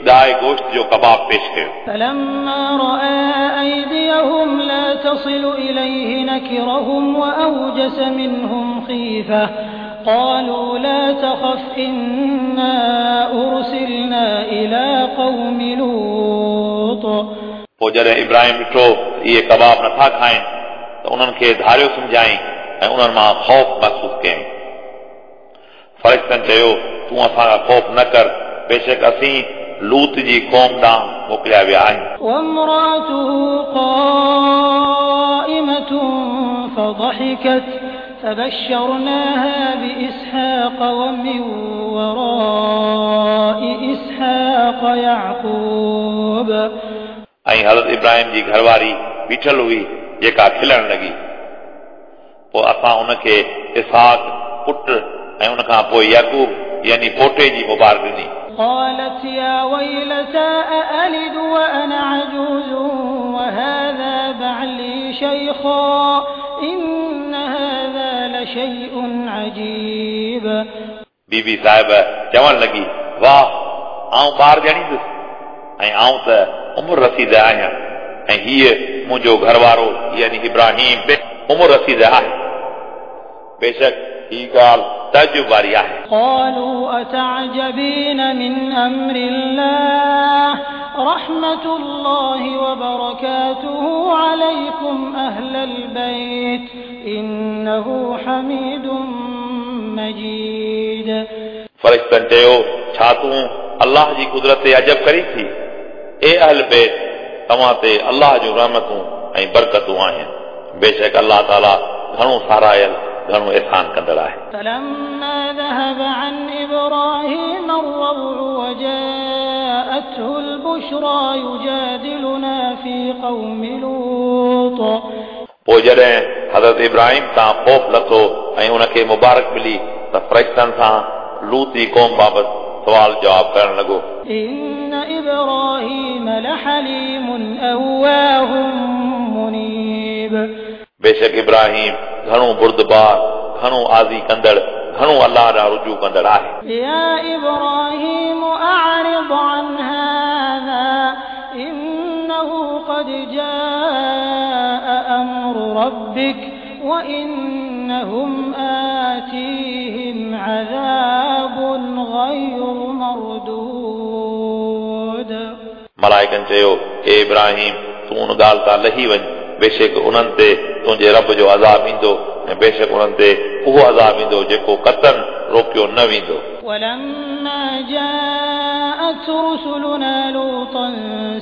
गाय गोश्त जो कबाब पेश कयो। فلما رأى أيديهم لا تصل إليه نكرهم وأوجس منهم خيفة قالوا لا تخف إنا أرسلنا إلى قوم لوط. पोइ जॾहिं इब्राहिम ॾिठो इहे कबाब नथा खाइनि त उन्हनि खे धारियो सम्झाई ऐं उन्हनि मां ख़ौफ़ महसूस कयईं। फ़रिश्तनि चयो तूं असां खां ख़ौफ़ न कर, बेशक असीं लूत जी क़ौम ॾांहुं मोकिलिया विया आहियूं। وامرأته قائمة فضحكت فبشرناها بإسحاق ومن وراء إسحاق يعقوب. ऐं हज़रत इब्राहिम जी घरवारी बीठल हुई जेका खिलण लॻी। पोइ असां उनखे इसहाक पुट ऐं उन खां पोइ याकूब यानी पोटे जी मुबारक ॾिनी। قالت يا ويلتى أألد وأنا عجوز وهذا بعلي شيخا إن هذا لشيء عجيب. बीबी साहिब चवण लॻी वाह आउं ॿार ॼणींदुसि ऐं आउं त उमिरि रसीद आहियां ऐं हीअ मुंहिंजो घरवारो यानी इब्राहिम बि उमिरि रसीद आहे। बेशक ही ॻाल्हि तअजुब वारी आहे। قالوا أتعجبين من أمر الله رحمة الله وبركاته عليكم أهل البيت إنه حميد مجيد. फ़रिश्तनि चयो छा तूं अल्लाह जी कुदरत ते अजब करी थी? ए अहल बैत तव्हां ते अल्लाह जूं रहमतूं ऐं बरकतूं आहिनि। बेशक अल्लाह ताला घणो सारायल घणो एहसान कंदड़ आहे। فلما ذهب عن إبراهيم الروع وجاءته البشرى يجادلنا في قوم لوط. पोइ जॾहिं हज़रत इब्राहिम तां ख़ौफ़ लथो ऐं उनखे मुबारक मिली त फ़रिश्तनि सां लूत जी क़ौम बाबति सवाल जवाब करण लॻो। إن إبراهيم لحليم أواه منيب. बेशक इब्राहिम घणो बुर्दबार घणो आज़ी कंदड़ घणो अल्लाह ॾांहुं रुजू कंदड़ आहे। يا إبراهيم أعرض عن هذا إنه قد جاء أمر ربك وإنهم آتيهم عذاب غير مردود. मलाइकनि चयो ए इब्राहिम तूं उन ॻाल्हि तां लही वञ, बेशक उन्हनि ते तुंहिंजे रब जो अज़ाब ईंदो ऐं बेशक उन्हनि ते उहो अज़ाब ईंदो जेको कतन रोकियो न वेंदो। ولما جاءت رسلنا لوطا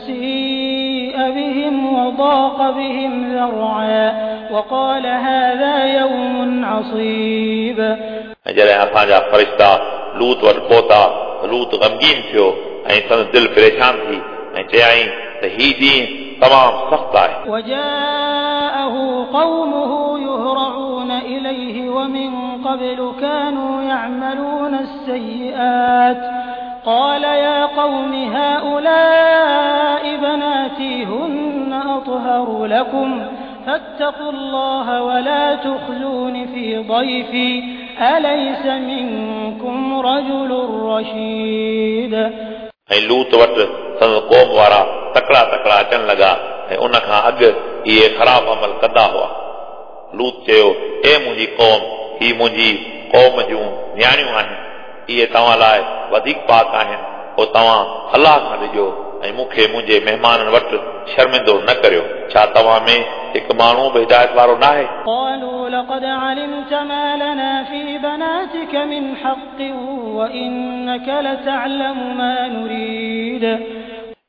سيء بهم وضاق بهم ذرعا وقال هذا يوم عصيب. ऐं जॾहिं असांजा फ़रिश्ता लूत वटि पहुता त लूत ग़मगीन थियो ऐं संदसि दिलि परेशान थी ऐं चयाईं त ही ॾींहुं तमामु सख़्तु आहे। وجاءه قومه يهرعون إليه ومن قبل كانوا يعملون السيئات قال يا قوم هؤلاء بناتي هن أطهر لكم فاتقوا الله ولا تخزون في ضيفي أليس منكم رجل رشيد. ऐं लूत वटि संदसि क़ौम वारा तकड़ा तकड़ा अचणु लॻा ऐं उन खां अॻु इहे ख़राब अमल कंदा हुआ। लूत चयो ए मुंहिंजी क़ौम, ही मुंहिंजी क़ौम जूं नियाणियूं आहिनि, इहे तव्हां लाइ वधीक पाक आहिनि, पोइ तव्हां अल्लाह खां ॾिजो ऐं मूंखे मुंहिंजे महिमाननि वटि शर्मिंदो न करियो। छा तव्हां में हिकु माण्हू बि हिदायत वारो न आहे? قالوا لقد علمت ما لنا في بناتك من حق وإنك لتعلم ما نريد.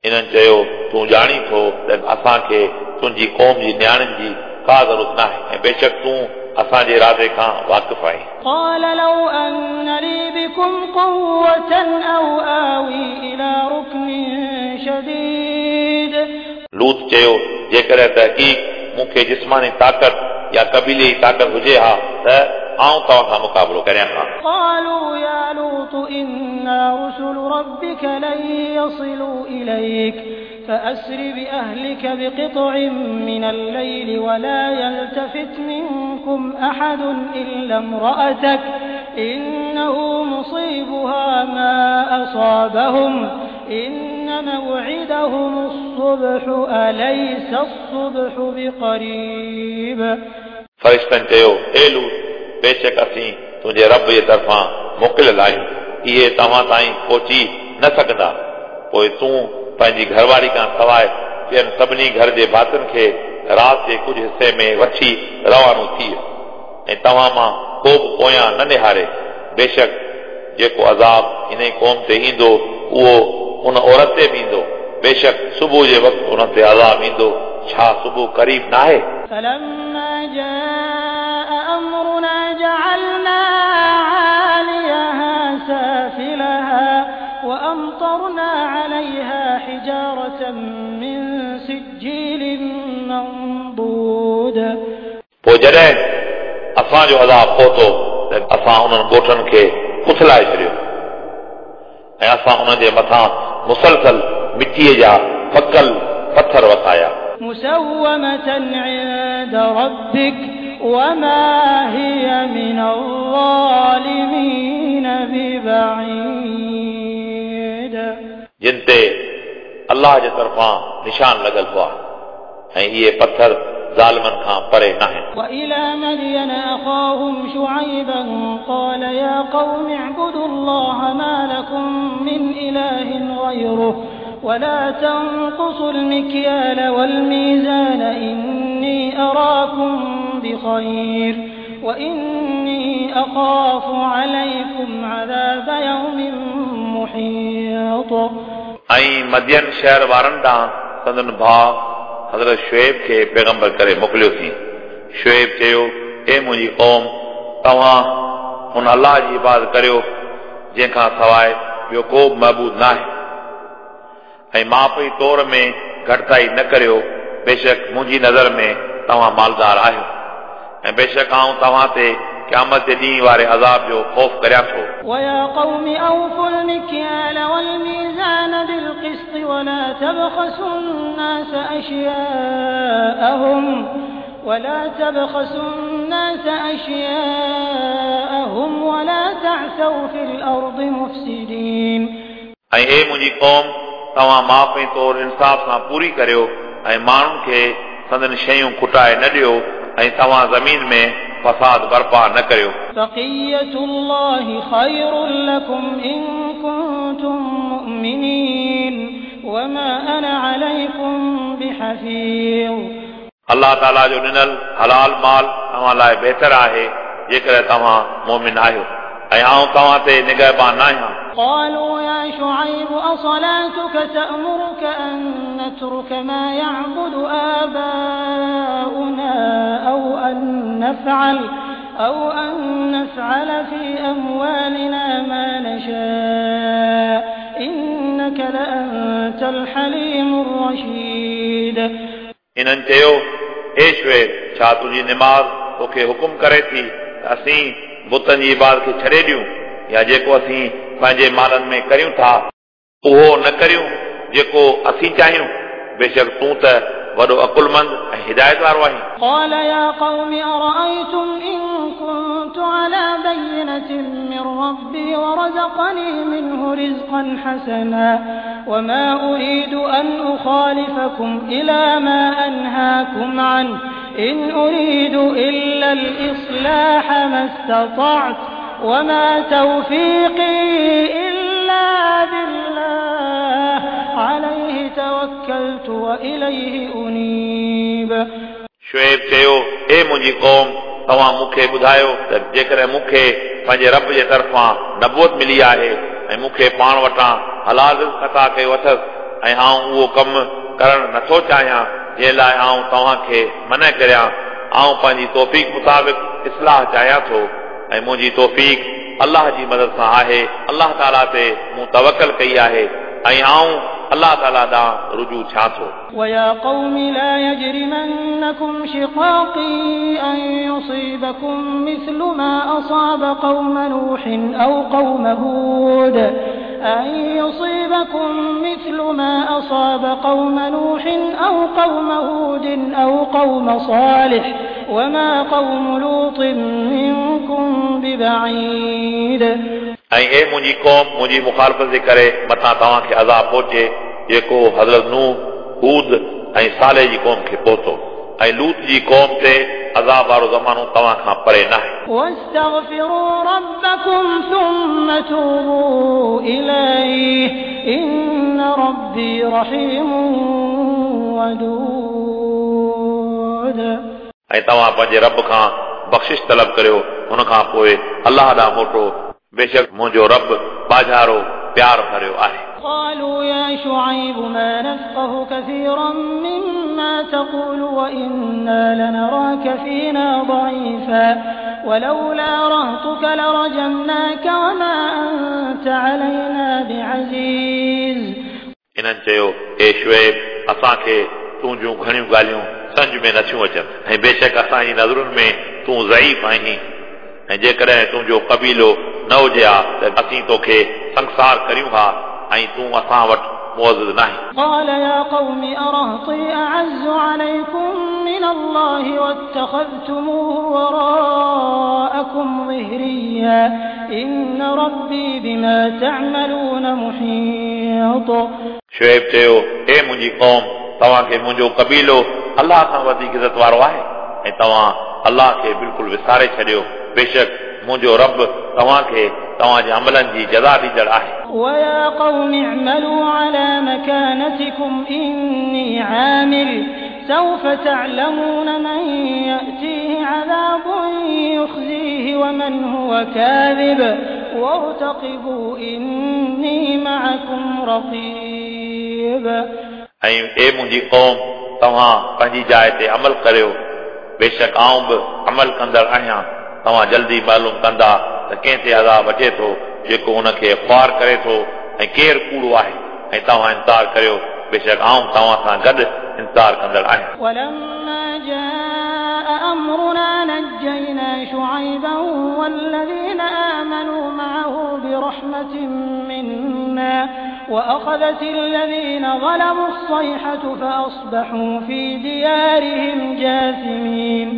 इन्हनि चयो तूं ॼाणी थो त असांखे तुंहिंजी क़ौम जी नियाणियुनि जी का ज़रूरत न आहे ऐं बेशक तूं असांजे इरादे खां वाक़िफ़ आहीं। قال لو أن لي بكم قوة أو آوي إلى ركن شديد। लूत चयो, जेकॾहिं तहक़ीक़ मूंखे जिस्मानी ताक़त या क़बीले जी ताक़त हुजे हा त आउं तव्हां सां मुक़ाबिलो करियां हा। قالوا يا لوط إنا رسل ربك لن يصلوا إليك فأسر بأهلك بقطع من الليل ولا يلتفت منكم أحد إلا امرأتك إنه مصيبها ما أصابهم إن موعدهم الصبح أليس الصبح بقريب। फरिश्तनि चयो, ए लूत, बेशक असीं तुंहिंजे रब जे तरफ़ां मोकिलियल आहियूं, इहे तव्हां ताईं पहुची न सघंदा। पोइ तूं पंहिंजी घरवारी खां सवाइ ॿियनि सभिनी घर जे भातियुनि खे राति जे कुझु हिसे में वठी रवानो थी ऐं तव्हां मां को बि पोयां न निहारे। बेशक जेको अज़ाब इन क़ौम ते ईंदो उहो उन औरत ते बि ईंदो। बेशक सुबुह जे वक़्तु उन ते अज़ाब ईंदो, छा सुबुह क़रीब नाहे? فلما جاء أمرنا جعلنا عاليها سافلها وأمطرنا عليها حجارة من سجيل منضود। पोइ जॾहिं असांजो अज़ाब पहुतो त असां उन्हनि ॻोठनि खे उथलाए छॾियो ऐं असां उन्हनि जे मथां मुसलसल मिटीअ जा पकल पथर वसाया। مسومة عند ربك وما هي من الظالمين ببعيد। जिन ते अल्लाह जे तरफ़ां निशान लॻल हुआ ऐं इहे पथर ज़ालिमनि खां परे नाहिनि। وإلى مدين أخاهم شعيبا قال يا قوم اعبدوا الله ما لكم من إله غيره ولا تنقصوا المكيال والميزان إني أراكم بخير وإني أخاف عليكم عذاب يوم محيط। ऐं मदियन शहर वारनि ॾांहुं संदन भाउ हज़रत शुएब खे पैगंबर करे मोकिलियोसीं। शुएब चयो, ए मुंहिंजी क़ौम, तव्हां हुन अल्लाह जी इबादत करियो जंहिंखां सवाइ ॿियो को बि महबूद नाहे ऐं माप जी तौर में घटिताई न करियो। बेशक मुंहिंजी नज़र में तव्हां मालदार आहियो ऐं बेशक आउं तव्हां ते क़यामत जे ॾींहं वारे अज़ाब जो ख़ौफ़ करियां थो। ويا قوم أوفوا المكيال والميزان بالقسط ولا تبخسوا الناس أشياءهم ولا تعثوا في الأرض مفسدين। ऐं ए मुंहिंजी क़ौम, तव्हां माप ऐं तौर इंसाफ़ सां पूरी करियो ऐं माण्हुनि खे संदन शयूं खुटाए न ॾियो ऐं तव्हां ज़मीन में फसाद बर्पा न करियो। بقية الله خير لكم إن كنتم مؤمنين وما أنا عليكم بحفيظ। अल्लाह ताला जो ॾिनल हलाल माल तव्हां लाइ बहितर आहे जेकॾहिं तव्हां मोमिन आहियो ऐं आउं तव्हां ते निगहबान न आहियां। قالوا يا شعيب أصلاتك تأمرك أن نترك ما يعبد آباؤنا أو أن نفعل في أموالنا ما نشاء إنك لأنت الحليم الرشيد। इन्हनि चयो, ए शुएब, छा तुंहिंजी निमाज़ तोखे हुकुम करे थी त असीं बुतनि जी इबादत खे छॾे ॾियूं या जेको असीं पंहिंजे मालनि में करियूं था उहो न करियूं जेको असीं चाहियूं? बेशक तूं त वॾो अकुलमंद ऐं हिदायत वारो आहीं। قال يا قوم أرأيتم إن كنت على بينة من ربي ورزقني منه رزقا حسنا وما أريد أن أخالفكم إلى ما أنهاكم عنه إن أريد إلا الإصلاح ما استطعت وما توفيقي إلا بالله عليه توكلت وإليه أنيب। शुएब चयो, ए मुंहिंजी क़ौम, तव्हां मूंखे ॿुधायो त जेकॾहिं मूंखे पंहिंजे रब जे तरफ़ां नबूअत मिली आहे ऐं मूंखे पाण वटां हलाल रिज़्क़ अता कयो अथसि ऐं आउं उहो कमु करणु नथो चाहियां जंहिं लाइ आउं तव्हांखे मना करियां, आउं पंहिंजी तौफ़ीक़ मुताबिक़ इस्लाह चाहियां थो ऐं मुंहिंजी तौफ़ीक़ अलाह जी मदद सां आहे। अलाह ताला ते मूं तवकल कई आहे ऐं आऊं अलाह ताला ॾांहुं रुजू थियां थो। ويا قوم لا يجرمنكم شقاقي أن يصيبكم مثل ما أصاب قوم نوح أو قوم هود أن يصيبكم مثل ما أصاب قوم نوح أو قوم هود أو قوم صالح وما قوم لوط منكم ببعيد। ऐं ए मुंहिंजी क़ौम मुंहिंजी मुखालफ़त जे करे मथां तव्हांखे अज़ाब पहुचे जेको हज़रत नूह, हूद ऐं साले जी क़ौम खे पहुतो ऐं लूत जी क़ौम ते अज़ाब वारो ज़मानो तव्हां खां परे न आहे। واستغفروا ربكم ثم توبوا إليه إن ربي رحيم ودود। ऐं तव्हां पंहिंजे रब खां बख़्शिश तलब करियो, हुन खां पोइ अलाह ॾांहुं मोटो, बेशक मुंहिंजो रब बाजारो प्यार भरियो आहे। قالوا يا شعيب ما نفقه كثيرا مما تقول وإنا لنراك فينا ضعيفا ولولا رهطك لرجمناك وما أنت علينا بعزيز। इन्हनि चयो, ए शुएब, असांखे तुंहिंजूं घणियूं ॻाल्हियूं सम्झ में नथियूं अचनि ऐं बेशक असांजी नज़रुनि में तूं ज़ईफ़ आहीं ऐं जेकॾहिं तुंहिंजो क़बीलो न हुजे हा त असीं तोखे संसार करियूं हा ऐं तूं असां वटि मुअज़्ज़ न आहीं। قال يا قوم أرهطي أعز عليكم من الله واتخذتموه وراءكم ظهريا إن ربي بما تعملون محيط। शुएब चयो, हे मुंहिंजी क़ौम, तव्हांखे मुंहिंजो क़बीलो अलाह खां वधीक इज़त वारो आहे ऐं तव्हां अलाह खे बिल्कुलु विसारे छॾियो, बेशक मुंहिंजो रब तव्हांखे तव्हांजे अमलनि जी जज़ा ॾींदड़ आहे। ويا قوم اعملوا على مكانتكم إني عامل سوف تعلمون من يأتيه عذاب يخزيه ومن هو كاذب وارتقبوا إني معكم رقيب। ऐं ए मुंहिंजी क़ौम, तव्हां पंहिंजी जाइ ते अमल करियो, बेशक आउं बि अमल कंदड़ आहियां। तव्हां जल्दी मालूम कंदा त कंहिं ते अज़ाब अचे थो जेको उनखे ख़्वार करे थो ऐं केरु कूड़ो आहे, ऐं तव्हां इंतज़ार करियो, बेशक आउं तव्हां सां गॾु इंतज़ार कंदड़ आहियां। ولما جاء أمرنا نجينا شعيبا والذين آمنوا معه برحمة منا وأخذت الذين ظلموا الصيحة فأصبحوا في ديارهم جاثمين।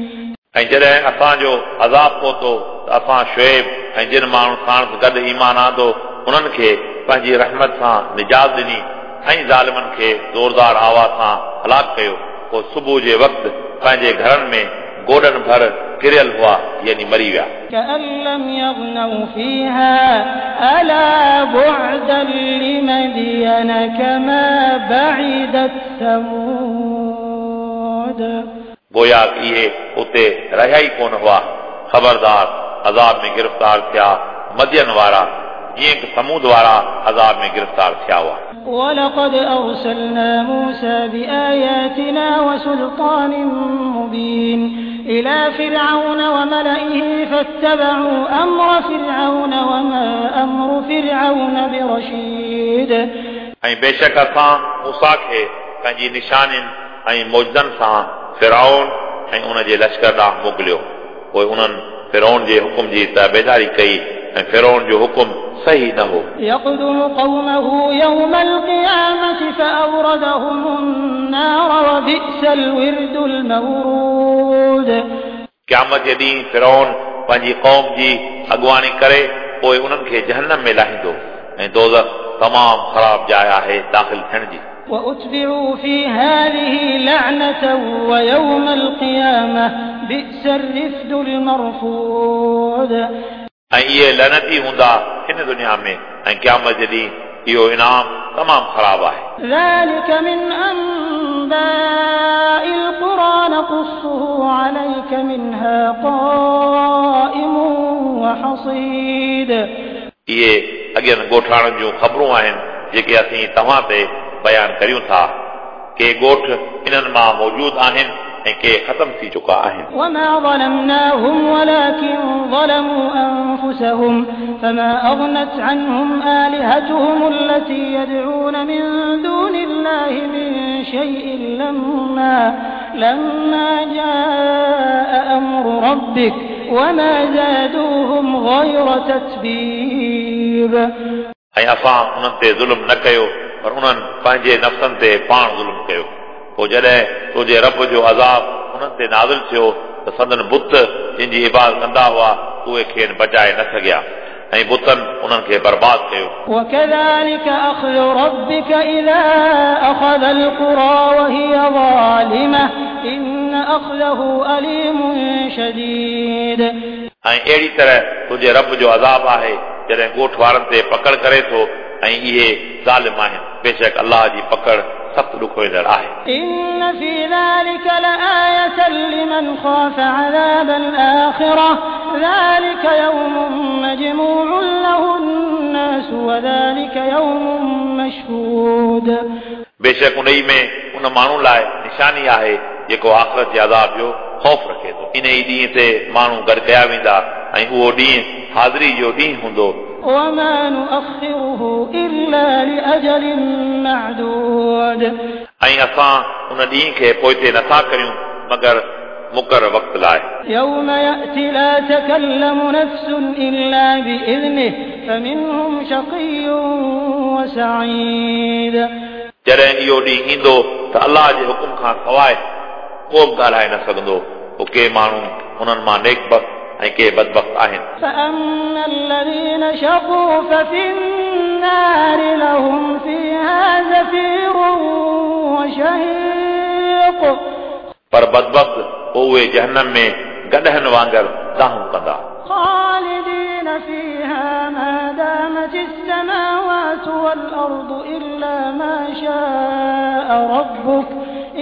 ऐं जॾहिं असांजो अज़ाब पहुतो त असां शुएब ऐं जिन माण्हुनि साणुसि गॾु ईमान आंदो उन्हनि खे पंहिंजी रहमत सां निजात ॾिनी ऐं ज़ालिमनि खे ज़ोरदार आवाज़ सां हलाक कयो। पोइ सुबुह जे वक़्तु पंहिंजे घरनि में गोॾनि भर किरियल हुआ, यानी मरी विया। كأن لم يغنوا فيها ألا بعدا لمدين كما بعدت ثمود। गोया इहे उते रहिया ई कोन हुआ। ख़बरदार अज़ाब में गिरफ़्तार थिया मदियन वारा, जीअं की समूद वारा अज़ाब में गिरफ़्तार थिया हुआ। ولقد أرسلنا موسى بآياتنا وسلطان مبين إلى فرعون وملئه فاتبعوا أمر فرعون وما أمر فرعون برشيد। ऐं बेशक असां मूसा खे पंहिंजी निशानियुनि ऐं मौजज़नि सां फिरौन ऐं उन जे लश्कर ॾांहुं मोकिलियो। पोइ उन्हनि फिरौन जे हुकुम जी ताबेदारी कई ऐं फिरौन जो हुकुम सही न हो। يقدم قومه يوم القيامة فأوردهم النار وبئس الورد المورود। क़यामत जे ॾींहुं फिरौन पंहिंजी क़ौम जी अॻुवाणी करे पोइ उन्हनि खे जहन्नम में लाहींदो ऐं दोज़ख तमामु ख़राब जाइ आहे दाख़िल थियण जी। وأتبعوا في هذه لعنة ويوم القيامة بئس الرفد المرفود। ऐं इहे लनती हूंदा हिन दुनिया में ऐं क़यामत जे ॾींहुं इहो इनाम तमामु ख़राब आहे। ذلك من أنباء القرى نقصه عليك منها قائم وحصيد। इहे अॻियनि ॻोठाणनि जूं ख़बरूं आहिनि जेके असीं तव्हां ते बयानु करियूं था। के ॻोठ इन्हनि मां मौजूदु आहिनि ऐं ऐं के ख़तम थी चुका आहिनि। وما ظلمناهم ولكن ظلموا أنفسهم فما أغنت عنهم آلهتهم التي يدعون من دون الله من شيء لما جاء أمر ربك وما زادوهم غير تتبيب। ऐं असां उन्हनि ते ज़ुल्म न कयो पर उन्हनि पंहिंजे नफ़्सनि ते पाण ज़ुल्म कयो। पोइ जॾहिं तुंहिंजे रब जो अज़ाब उन्हनि ते नाज़िल थियो त संदन बुत जिन जी इबादत कंदा हुआ उहे खेनि बचाए न सघिया ऐं बुतनि उन्हनि खे बर्बाद कयो। وكذلك أخذ ربك إذا أخذ القرى وهي ظالمة إن أخذه أليم شديد। ऐं अहिड़ी तरह तुंहिंजे रब जो अज़ाब आहे जॾहिं ॻोठ वारनि ते पकड़ करे थो ऐं इहे ज़ालिम आहिनि। बेशक अलाह जी पकड़ सख़्तु ॾुखोईंदड़ आहे। إن في ذلك لآية لمن خاف عذاب الآخرة ذلك يوم مجموع له الناس وذلك يوم مشهود। बेशक उन में उन माण्हू लाइ निशानी आहे जेको आख़िरत जे अज़ाब जो ख़ौफ़ रखे थो। इन ई ॾींहं ते माण्हू गॾु कया वेंदा ऐं उहो ॾींहुं हाज़िरी जो ॾींहुं हूंदो। وما نؤخره إلا لأجل معدود। ऐं असां उन ॾींहं खे पोइते नथा करियूं मगर मुक़ररु वक़्त लाइ। يوم يأتي لا تكلم نفس إلا بإذنه فمنهم شقي وسعيد। जॾहिं इहो ॾींहुं ईंदो त अलाह जे हुकुम खां सवाइ को बि ॻाल्हाए न सघंदो। पोइ के माण्हू उन्हनि मां नेकबख़्त ऐं के बदबख़्त आहिनि। فأما الذين شقوا ففي النار لهم فيها زفير وشهيق। पर बदबख़्त पोइ उहे जहन्नम में गॾहनि वांगुरु दाहूं कंदा। خالدين فيها ما دامت السماوات والأرض إلا ما شاء ربك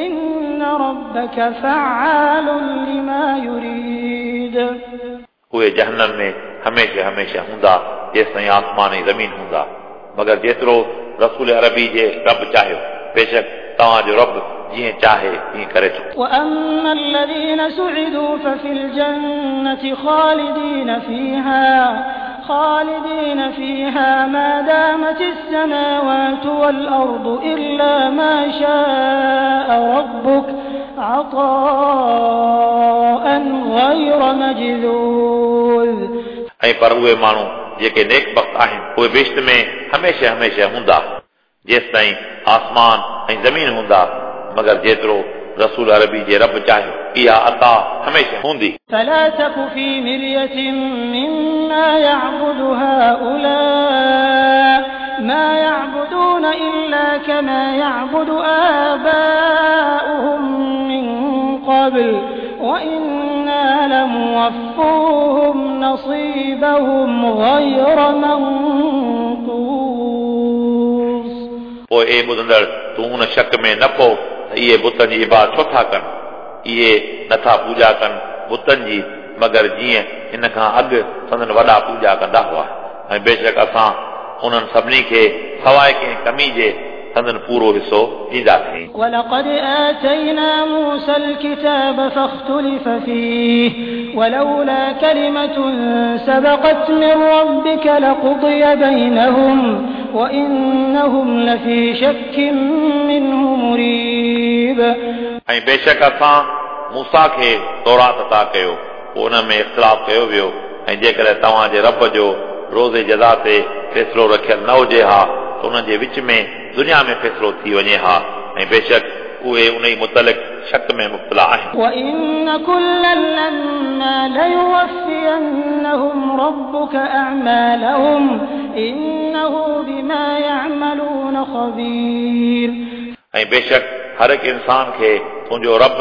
إن ربك فعال لما يريد। उहे जहन्नम में हमेशह हमेशह हूंदा जेसिताईं आसमान ऐं ज़मीन हूंदा, मगर जेतिरो रसूल अरबी जे रब चाहियो। बेशक तव्हांजो रब जीअं चाहे तीअं करे थो। وأما الذين سعدوا ففي الجنة خالدين فيها ما دامت السماوات والأرض إلا ما شاء ربك عطاء غير مجذوذ। ऐं पर उहे माण्हू जेके नेकबख़्त आहिनि उहे बहिश्त में हमेशह हमेशह हूंदा जेसिताईं आसमान ऐं ज़मीन हूंदा, मगर जेतिरो रसूल अरबी जे रब चाहियो इहा अता हमेशह हूंदी। فلا تك في مرية مما يعبد هؤلاء ما يعبدون إلا كما يعبد آباؤهم من قبل وإنا لموفوهم نصيبهم غير منقوص। पोइ ए ॿुधंदड़ तूं उन शक में न पओ त इहे बुतनि जी इबादत छो था कनि। इहे नथा पूॼा कनि बुतनि जी, मगर जीअं हिन खां अॻु संदन वॾा पूॼा कंदा हुआ। ऐं बेशक असां उन्हनि सभिनी खे सवाइ कंहिं कमी जे संदन पूरो हिसो ॾींदासीं। ولقد آتينا موسى الكتاب فاختلف فيه ولولا كلمة سبقت من ربك لقضي بينهم وإنهم لفي شك منه مريب। ऐं बेशक असां मूसा खे तौरात अता कयो, पोइ उन में इख़्तिलाफ़ कयो वियो। ऐं जेकॾहिं तव्हांजे रब जो रोज़े जज़ा ते फ़ैसिलो रखियल न हुजे हा त उन्हनि जे विच में दुनिया में फ़ैसिलो थी वञे हा। ऐं बेशक उहे उन ई मुतलिक़ शक में मुब्तला आहिनि। وإن كلا لما ليوفينهم ربك أعمالهم إنه بما يعملون خبير। ऐं बेशक हर हिकु इंसान खे तुंहिंजो रब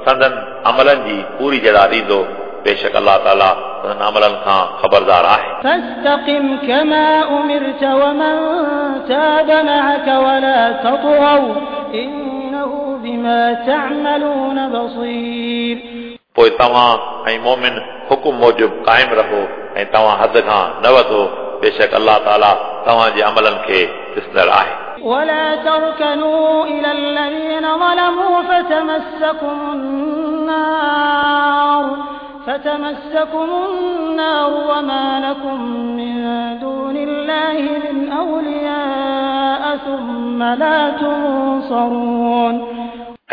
संदन अमलनि जी पूरी जज़ा ॾींदो। बेशक अलाह ताला संदन अमलनि खां ख़बरदार आहे। فاستقم كما أمرت ومن تاب معك ولا تطغوا إنه بما تعملون بصير। पोइ तव्हां ऐं मोमिन हुकुम मूजिबि क़ाइमु रहो ऐं तव्हां हद खां न वधो। बेशक अलाह ताला तव्हांजे अमलनि खे ॾिसंदड़ आहे। ولا تركنوا إلى الذين ظلموا فتمسكم النار النار فتمسكم النار وما لكم من دون الله من أولياء ثم لا تنصرون.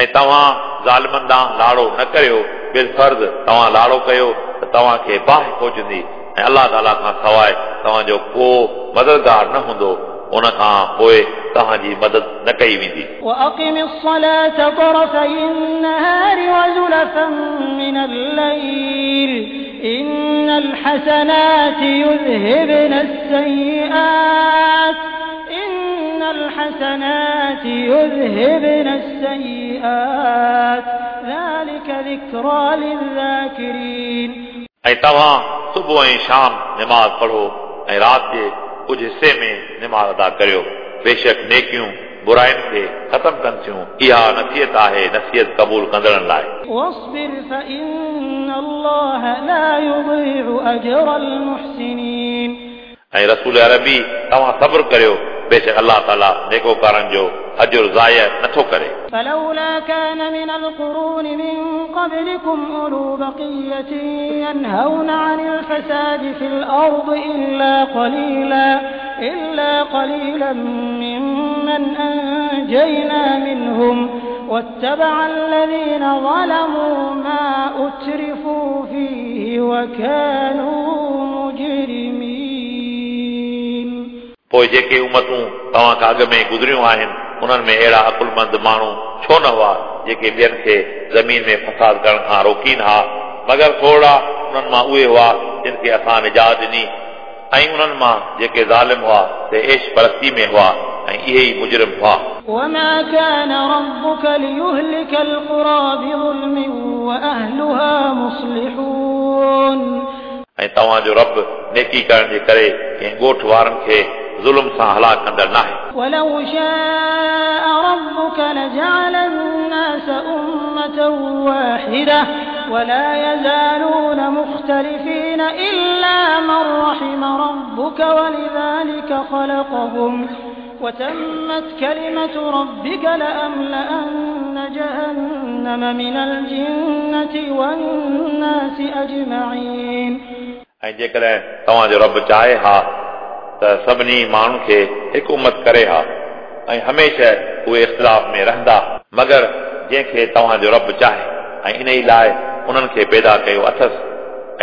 ऐं तव्हां ज़ालिमनि ॾांहुं लाड़ो न करियो, बिलफर्ज़ तव्हां लाड़ो कयो त तव्हांखे बाहि पहुचंदी ऐं अलाह ताला खां सवाइ तव्हांजो को मददगार न हूंदो, उन खां पोइ तव्हांजी मदद न कई वेंदी। وأقم الصلاة طرفي النهار وزلفا من الليل إن الحسنات يذهبن السيئات إن الحسنات يذهبن السيئات ذلك ذكرى للذاكرين. ऐं तव्हां सुबुह ऐं शाम नमाज़ पढ़ो ऐं राति जे कुझु हिसे में नमाज़ अदा करियो, बेशक नेकियूं बुराइनि खे ख़तमु कनि थियूं। इहा नसीहत आहे नसीहत क़बूल कंदड़नि लाइ। واصبر فإن الله لا يضيع أجر المحسنين. ऐं रसूल अरबी तव्हां सब्र करियो, बेशक अलाह ताला नेकोकारनि जो अजुर ज़ाय नथो करे। فلولا كان من القرون من قبلكم أولو بقية ينهون عن الفساد في الأرض إلا قليلا ممن أنجينا منهم واتبع الذين ظلموا ما أترفوا فيه وكانوا مجرمين. पोइ जेके उमतूं तव्हां खां अॻु में गुज़रियूं आहिनि उन्हनि में अहिड़ा अकुलमंद माण्हू छो न हुआ जेके ॿियनि खे ज़मीन में फसाद करण खां रोकीनि हा, मगर थोरा उन्हनि मां उहे हुआ जिन खे असां निजात ॾिनी ऐं उन्हनि मां जेके ज़ालिम हुआ से ऐश परस्ती में हुआ ऐं इहे ई मुजरिम हुआ। وما كان ربك ليهلك القرى بظلم وأهلها مصلحون. ऐं तव्हांजो रब नेकी करण जे करे कंहिं ॻोठ वारनि खे ज़ुल्म सां हलाक कंदड़ नाहे। ولو شاء ربك لجعل الناس أمة واحدة ولا يزالون مختلفين إلا من رحم ربك ولذلك خلقهم وتمت كلمة ربك لأملأن جهنم من الجنة والناس أجمعين. ऐं जेकॾहिं तव्हांजो रब चाहे हा त सभिनी माण्हुनि खे हिकु उमत करे हा ऐं हमेशह उहे इख़्तिलाफ़ में रहंदा, मगर जंहिंखे तव्हांजो रब चाहे ऐं इन ई लाइ उन्हनि खे पैदा कयो अथसि।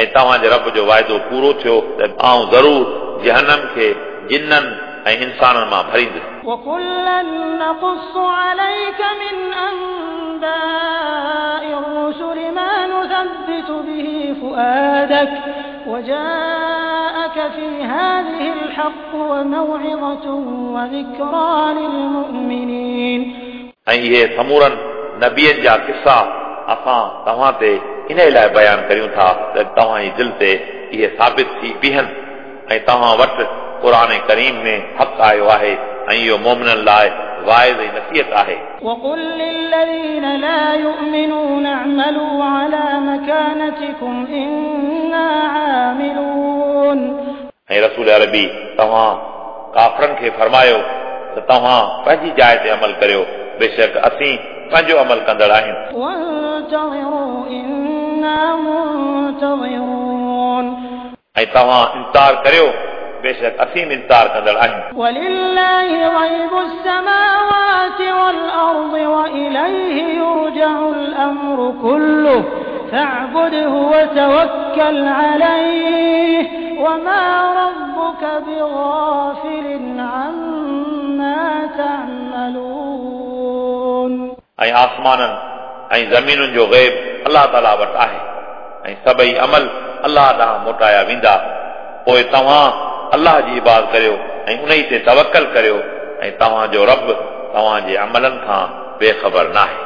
ऐं तव्हांजे रब जो वाइदो पूरो थियो त आउं ज़रूर जहनम खे जिन्ननि ऐं इंसाननि मां भरींदुसि। وكلا نقص عليك من أنباء الرسل ما نثبت به فؤادك وجاءك في هذه الحق وموعظة وذكرى للمؤمنين. ऐं इहे समूरनि नबियनि जा किसा असां तव्हां ते इन लाइ बयानु करियूं था त तव्हांजी दिलि ते इहे साबित थी बीहनि ऐं तव्हां वटि क़ुर करीम में हक़ आयो आहे ऐं इहो मोमिननि लाइ वाइज़ ऐं नसीहत आहे। وقل للذين لا يؤمنون اعملوا على مكانتكم إنا عاملون. ऐं रसूल अरबी तव्हां काफ़रनि खे फरमायो त तव्हां पंहिंजी जाइ ते अमल करियो, बेशक असीं पंहिंजो अमल कंदड़ आहियूं। وانتظروا إنا منتظرون. ऐं तव्हां इंतज़ार करियो, बेशक असीं बि इंतज़ार कंदड़ आहियूं। ولله غيب السماوات والأرض وإليه يرجع الأمر كله فاعبده وتوكل عليه وما ربك بغافل عما تعملون. ऐं आसमाननि ऐं ज़मीनुनि जो ग़ैब अलाह ताला वटि आहे ऐं सभई अमल अलाह ॾांहुं मोटाया वेंदा। पोइ तव्हां अलाह जी इबादत करियो ऐं उन ई ते तवकल करियो ऐं तव्हांजो रब तव्हांजे अमलनि खां बेख़बर नाहे।